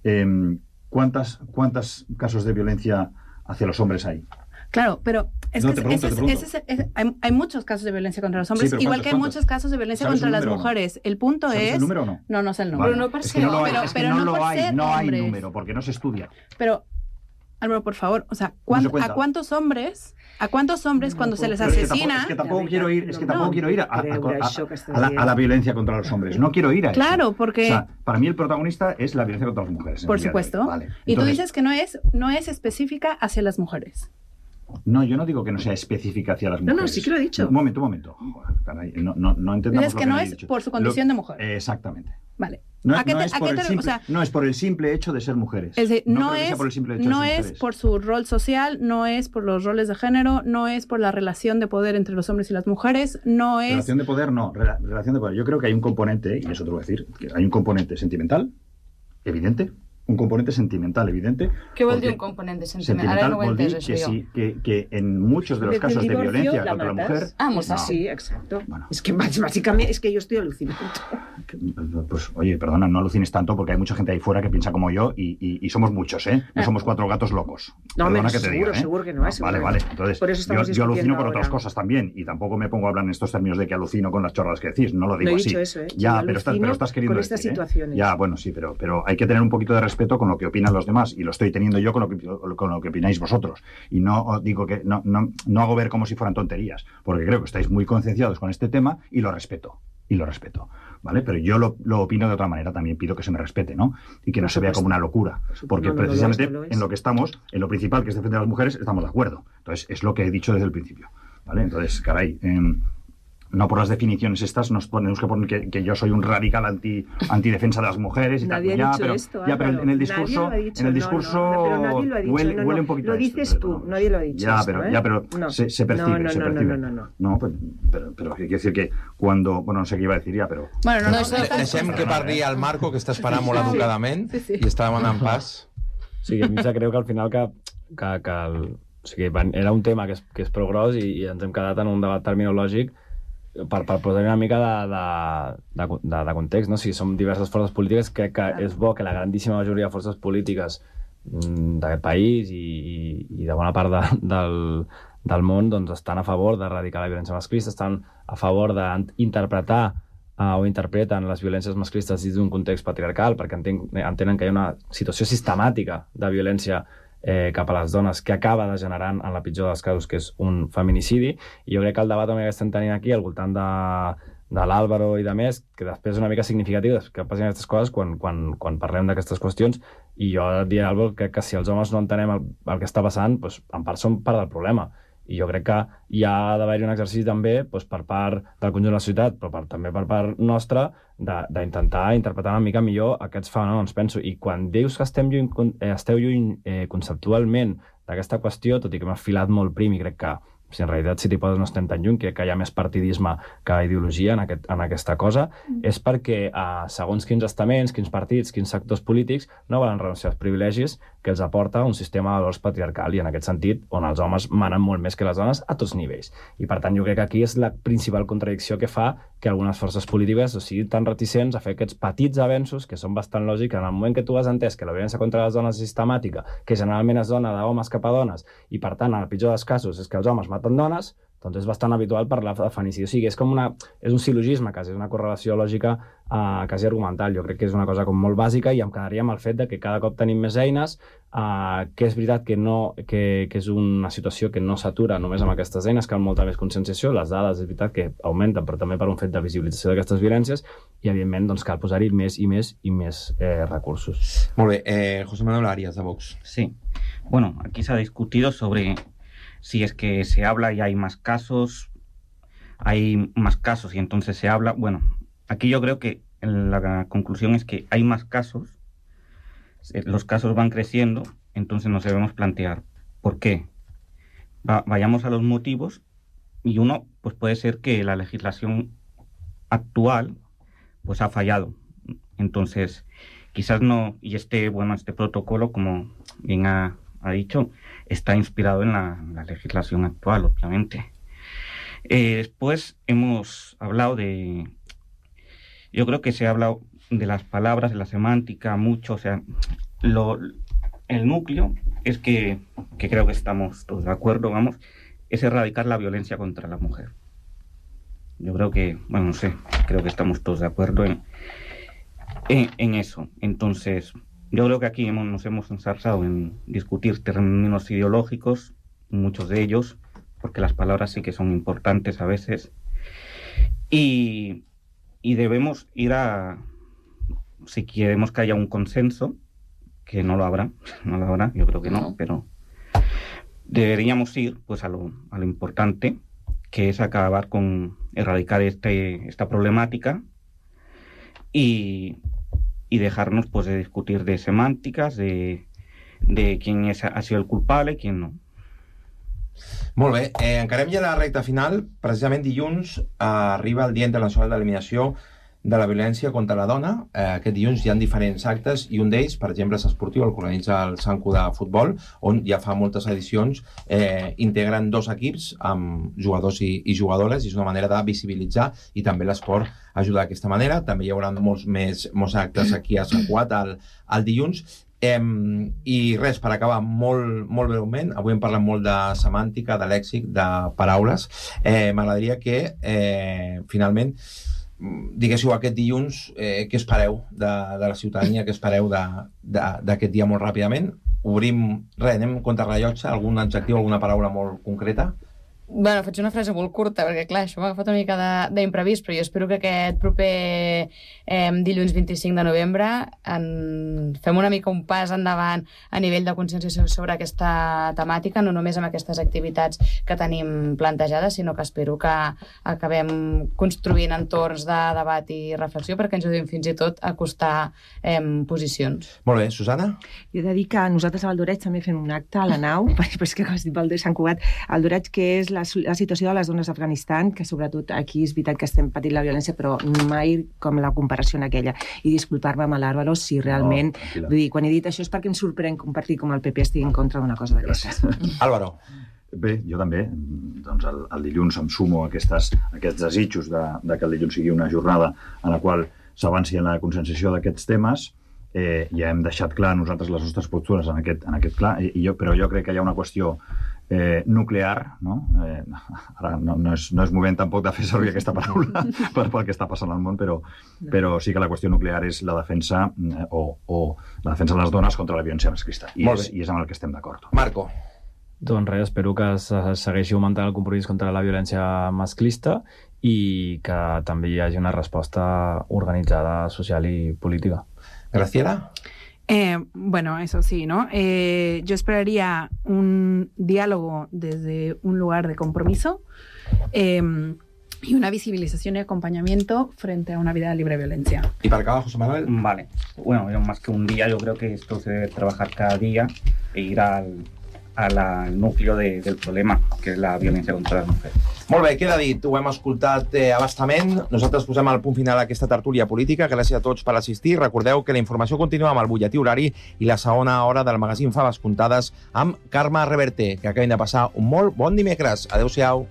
eh, ¿cuántas, ¿cuántos casos de violencia hacia los hombres hay? Claro, pero es no, que pregunto, ese, ese, ese, ese, hay, hay muchos casos de violencia contra los hombres, sí, igual que hay ¿cuántos? muchos casos de violencia contra las mujeres. No? El punto ¿Sabes es... el número o no? No, no sé el número. Vale. Pero no por es ser que no lo hay, pero, es que pero no, no lo por hay, ser no hay hombres. número, porque no se estudia. Pero, Álvaro, por favor, o sea, ¿cuán, no ¿a cuántos hombres, a cuántos hombres no, cuando no, se les asesina... Es que tampoco, es que tampoco quiero ir, es que tampoco no, quiero ir a, a, a, a, la, a la violencia contra los hombres. No quiero ir a eso. Claro, porque... O sea, para mí el protagonista es la violencia contra las mujeres. Por supuesto. Vale. Y Entonces, tú dices que no es, no es específica hacia las mujeres. No, yo no digo que no sea específica hacia las mujeres. No, no, sí que lo he dicho. Un momento, un momento. Caray, no, no, no entendamos Dices lo que, que no me es dicho. por su condición lo, de mujer. Exactamente. Vale. No, ¿A qué no, te, es ¿a por qué el te, simple, o sea, no es por el simple hecho de ser mujeres. Es decir, no, no es, por, el simple hecho no de ser es mujeres. por su rol social, no es por los roles de género, no es por la relación de poder entre los hombres y las mujeres, no es... Relación de poder, no. Rela, relación de poder. Yo creo que hay un componente, y eso te lo voy a decir, que hay un componente sentimental, evidente, un componente sentimental evidente. Què vol dir un componente sentimental? Sentimental Ara no ho he vol dir entès, que, això sí, que, que en muchos de los casos de violencia la contra matas. la mujer... Ah, pues no. Sí, exacto. Bueno. Es que básicamente es que yo estoy alucinando. Pues oye, perdona, no alucines tanto porque hay mucha gente ahí fuera que piensa como yo y, y, y somos muchos, ¿eh? No somos cuatro gatos locos. No, perdona menos, que te seguro, diga, ¿eh? seguro que no es. No, vale, vale. Entonces, Por eso yo, yo alucino con ahora. otras cosas también y tampoco me pongo a hablar en estos términos de que alucino con las chorradas que decís, no lo digo no he así. Dicho eso, ¿eh? Ya, pero estás, pero estás queriendo con estas decir, situaciones. ¿eh? Ya, bueno, sí, pero, pero hay que tener un poquito de respeto con lo que opinan los demás y lo estoy teniendo yo con lo que, con lo que opináis vosotros. Y no digo que no, no, no hago ver como si fueran tonterías, porque creo que estáis muy concienciados con este tema y lo respeto. Y lo respeto, ¿vale? Pero yo lo, lo opino de otra manera, también pido que se me respete, ¿no? Y que no se vea como una locura, porque no, no, precisamente no lo es, lo es. en lo que estamos, en lo principal que es defender a las mujeres, estamos de acuerdo. Entonces, es lo que he dicho desde el principio, ¿vale? Entonces, caray, eh, no por las definiciones estas, nos ponemos que poner que, que yo soy un radical anti, antidefensa de las mujeres y nadie tal. ha Ya, dicho pero, esto, ya, pero en el discurso, dicho, en el discurso no, no, pero nadie lo ha dicho, huele, no, no, huele un poquito lo a esto, dices tú, no. nadie lo ha dicho ya, esto, pero, ¿eh? ya, pero no. se, se percibe, no, no, se no, percibe. No, no, no, no. No, pero, pero, pero quiere decir que cuando... Bueno, no sé qué iba a decir ja, però... Bueno, no, no, no, deixem que parli el Marco, que està esperant molt educadament sí, sí. i està demanant pas. Sí, a mi em creu que al final que, que, que el, o sigui, era un tema que és, que és prou gros i, i ens hem quedat en un debat terminològic per, per posar una mica de, de, de, de context, no? Si som diverses forces polítiques, crec que és bo que la grandíssima majoria de forces polítiques d'aquest país i, i, i de bona part de, del, del món doncs, estan a favor d'erradicar la violència masclista, estan a favor d'interpretar uh, o interpreten les violències masclistes dins d'un context patriarcal, perquè enten, entenen que hi ha una situació sistemàtica de violència eh, cap a les dones que acaba degenerant en la pitjor dels casos, que és un feminicidi. I jo crec que el debat també que estem tenint aquí al voltant de, de l'Àlvaro i de més, que després és una mica significatiu que passin aquestes coses quan, quan, quan parlem d'aquestes qüestions, i jo diria, Àlvaro, que, que si els homes no entenem el, el que està passant, doncs, en part som part del problema. I jo crec que hi ha d'haver-hi un exercici també doncs, per part del conjunt de la societat, però per, també per part nostra, d'intentar interpretar una mica millor aquests fenòmens, penso. I quan dius que estem lluny, eh, esteu lluny eh, conceptualment d'aquesta qüestió, tot i que m'ha filat molt prim i crec que si en realitat si t'hi poses no estem tan lluny, crec que hi ha més partidisme que ideologia en, aquest, en aquesta cosa, mm. és perquè eh, segons quins estaments, quins partits, quins sectors polítics no volen renunciar als privilegis que els aporta un sistema de valors patriarcal i en aquest sentit on els homes manen molt més que les dones a tots nivells. I per tant jo crec que aquí és la principal contradicció que fa que algunes forces polítiques o siguin tan reticents a fer aquests petits avenços que són bastant lògics en el moment que tu has entès que la violència contra les dones és sistemàtica, que generalment es dona d'homes cap a dones i per tant en el pitjor dels casos és que els homes maten dones, doncs és bastant habitual parlar de feminicidi. O sigui, és com una... és un sil·logisme quasi, és una correlació lògica eh, quasi argumental. Jo crec que és una cosa com molt bàsica i em quedaria amb el fet de que cada cop tenim més eines, eh, que és veritat que, no, que, que és una situació que no s'atura només amb aquestes eines, cal molta més conscienciació, les dades és veritat que augmenten, però també per un fet de visibilització d'aquestes violències i, evidentment, doncs, cal posar-hi més i més i més eh, recursos. Molt bé. Eh, José Manuel Arias, de Vox. Sí. Bueno, aquí se ha discutido sobre si es que se habla y hay más casos, hay más casos y entonces se habla. Bueno, aquí yo creo que la conclusión es que hay más casos, los casos van creciendo, entonces nos debemos plantear por qué. Va, vayamos a los motivos y uno pues puede ser que la legislación actual pues ha fallado. Entonces, quizás no, y este, bueno, este protocolo, como bien ha, ha dicho, está inspirado en la, la legislación actual, obviamente. Eh, después hemos hablado de... Yo creo que se ha hablado de las palabras, de la semántica, mucho, o sea, lo, el núcleo es que, que creo que estamos todos de acuerdo, vamos, es erradicar la violencia contra la mujer. Yo creo que, bueno, no sé, creo que estamos todos de acuerdo en, en, en eso. Entonces, yo creo que aquí hemos, nos hemos ensarzado en discutir términos ideológicos, muchos de ellos, porque las palabras sí que son importantes a veces, y, y debemos ir a, si queremos que haya un consenso, que no lo habrá, no lo habrá, yo creo que no, pero deberíamos ir pues a lo, a lo importante, que es acabar con erradicar este, esta problemática y... y dejarnos pues de discutir de semàntiques, de, de quién es, ha sido el culpable i quién no. Molt bé, eh, encarem ja la recta final. Precisament dilluns eh, arriba el Dia Internacional d'Eliminació de la Violència contra la Dona. Eh, aquest dilluns hi ha diferents actes i un d'ells, per exemple, és esportiu, el que organitza el Sanku de futbol, on ja fa moltes edicions eh, integren dos equips amb jugadors i, i jugadores i és una manera de visibilitzar i també l'esport ajudar d'aquesta manera. També hi haurà molts més molts actes aquí a Sant Cugat al, al dilluns. Eh, I res, per acabar molt, molt breument, avui hem parlat molt de semàntica, de lèxic, de paraules. Eh, M'agradaria que eh, finalment diguéssiu aquest dilluns eh, què espereu de, de la ciutadania, què espereu d'aquest dia molt ràpidament. Obrim, res, anem contra rellotge, algun adjectiu, alguna paraula molt concreta. Bueno, faig una frase molt curta, perquè clar, això m'ha agafat una mica d'imprevist, però jo espero que aquest proper eh, dilluns vint-i-cinc de novembre en... fem una mica un pas endavant a nivell de conscienciació sobre aquesta temàtica, no només amb aquestes activitats que tenim plantejades, sinó que espero que acabem construint entorns de debat i reflexió perquè ens ajudin fins i tot a acostar eh, posicions. Molt bé, Susana? Jo he de dir que nosaltres a Valdoreig també fem un acte a la nau, però és que has dit Valdoreig, Sant Cugat, a Valdoreig, que és la, la situació de les dones d'Afganistan, que sobretot aquí és veritat que estem patint la violència, però mai com la comparació en aquella. I disculpar-me amb l'Àlvaro si realment... No, vull dir, quan he dit això és perquè em sorprèn compartir com el P P estigui en contra d'una cosa d'aquestes. Álvaro. Bé, jo també. Doncs el, el dilluns em sumo a aquestes, a aquests desitjos de, de que el dilluns sigui una jornada en la qual s'avanci en la conscienciació d'aquests temes. Eh, ja hem deixat clar nosaltres les nostres postures en aquest, en aquest clar, i jo, però jo crec que hi ha una qüestió eh, nuclear, no? Eh, ara no, no, és, no és moment tampoc de fer servir aquesta paraula per, pel que està passant al món, però, però sí que la qüestió nuclear és la defensa eh, o, o la defensa de les dones contra la violència masclista, i és, i és amb el que estem d'acord. Marco. Doncs res, espero que es segueixi augmentant el compromís contra la violència masclista i que també hi hagi una resposta organitzada, social i política. Graciela? Eh, bueno, eso sí, ¿no? Eh, yo esperaría un diálogo desde un lugar de compromiso eh, y una visibilización y acompañamiento frente a una vida libre de violencia. ¿Y para acá, José Manuel? Vale. Bueno, yo más que un día, yo creo que esto se debe trabajar cada día e ir al, al, al núcleo de, del problema, que és la violència contra les mujeres. Molt bé, queda dit, ho hem escoltat eh, abastament. Nosaltres posem al punt final aquesta tertúlia política. Gràcies a tots per assistir. Recordeu que la informació continua amb el butlletí horari i la segona hora del magazín Faves Comptades amb Carme Reverter, que acabin de passar un molt bon dimecres. Adéu-siau.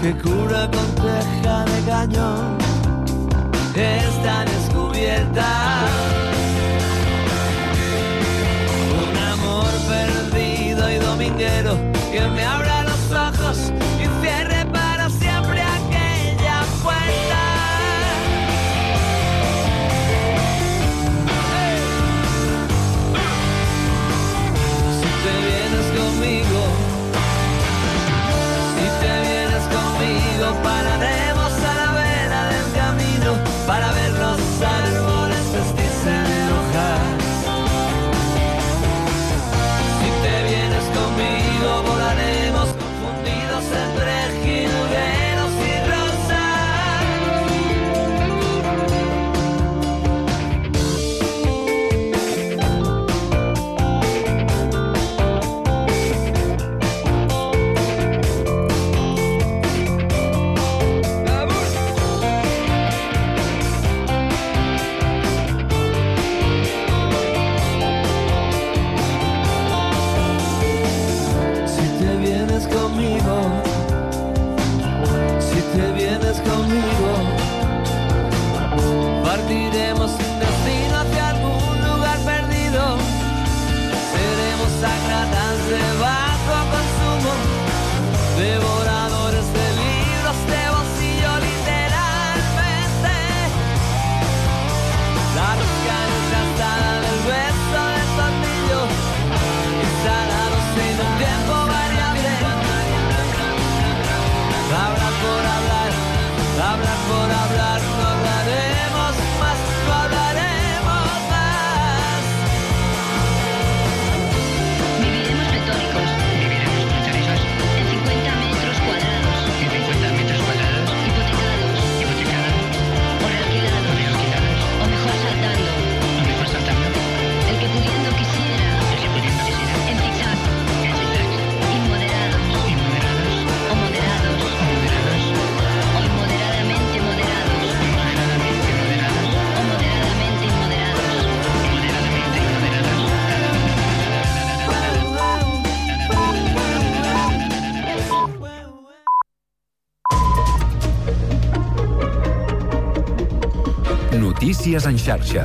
que cura con teja de cañón, está descubierta. Un amor perdido y dominguero que me abra los ojos y cierre para siempre aquella puerta. Hey. Si te vienes conmigo, si te vienes conmigo, pararemos a la vera del camino para ver los árboles vestirse de hojas. Si te vienes conmigo, volaremos consagradas de bajo consumo, devoradores de libros de bolsillo literalmente, la rosca desgastada del hueso del tornillo, instalados en un tiempo variable, hablar por hablar, hablar por hablar, no hablaremos más, no hablaremos más. Viviremos retóricos. Viviremos retóricos. En cincuenta metros cuadrados. En cincuenta metros cuadrados. Hipotecados. Hipotecados. O realquilados. O realquilados. O mejor saltando. O mejor saltando. El que pudiendo quisiera. El que pudiendo quisiera. En zigzag. En zigzag. Inmoderados. Inmoderados. O moderados. O moderados. O inmoderadamente moderados. Inmoderadamente moderados. O moderadamente inmoderados. Moderadamente inmoderados. Notícies en xarxa.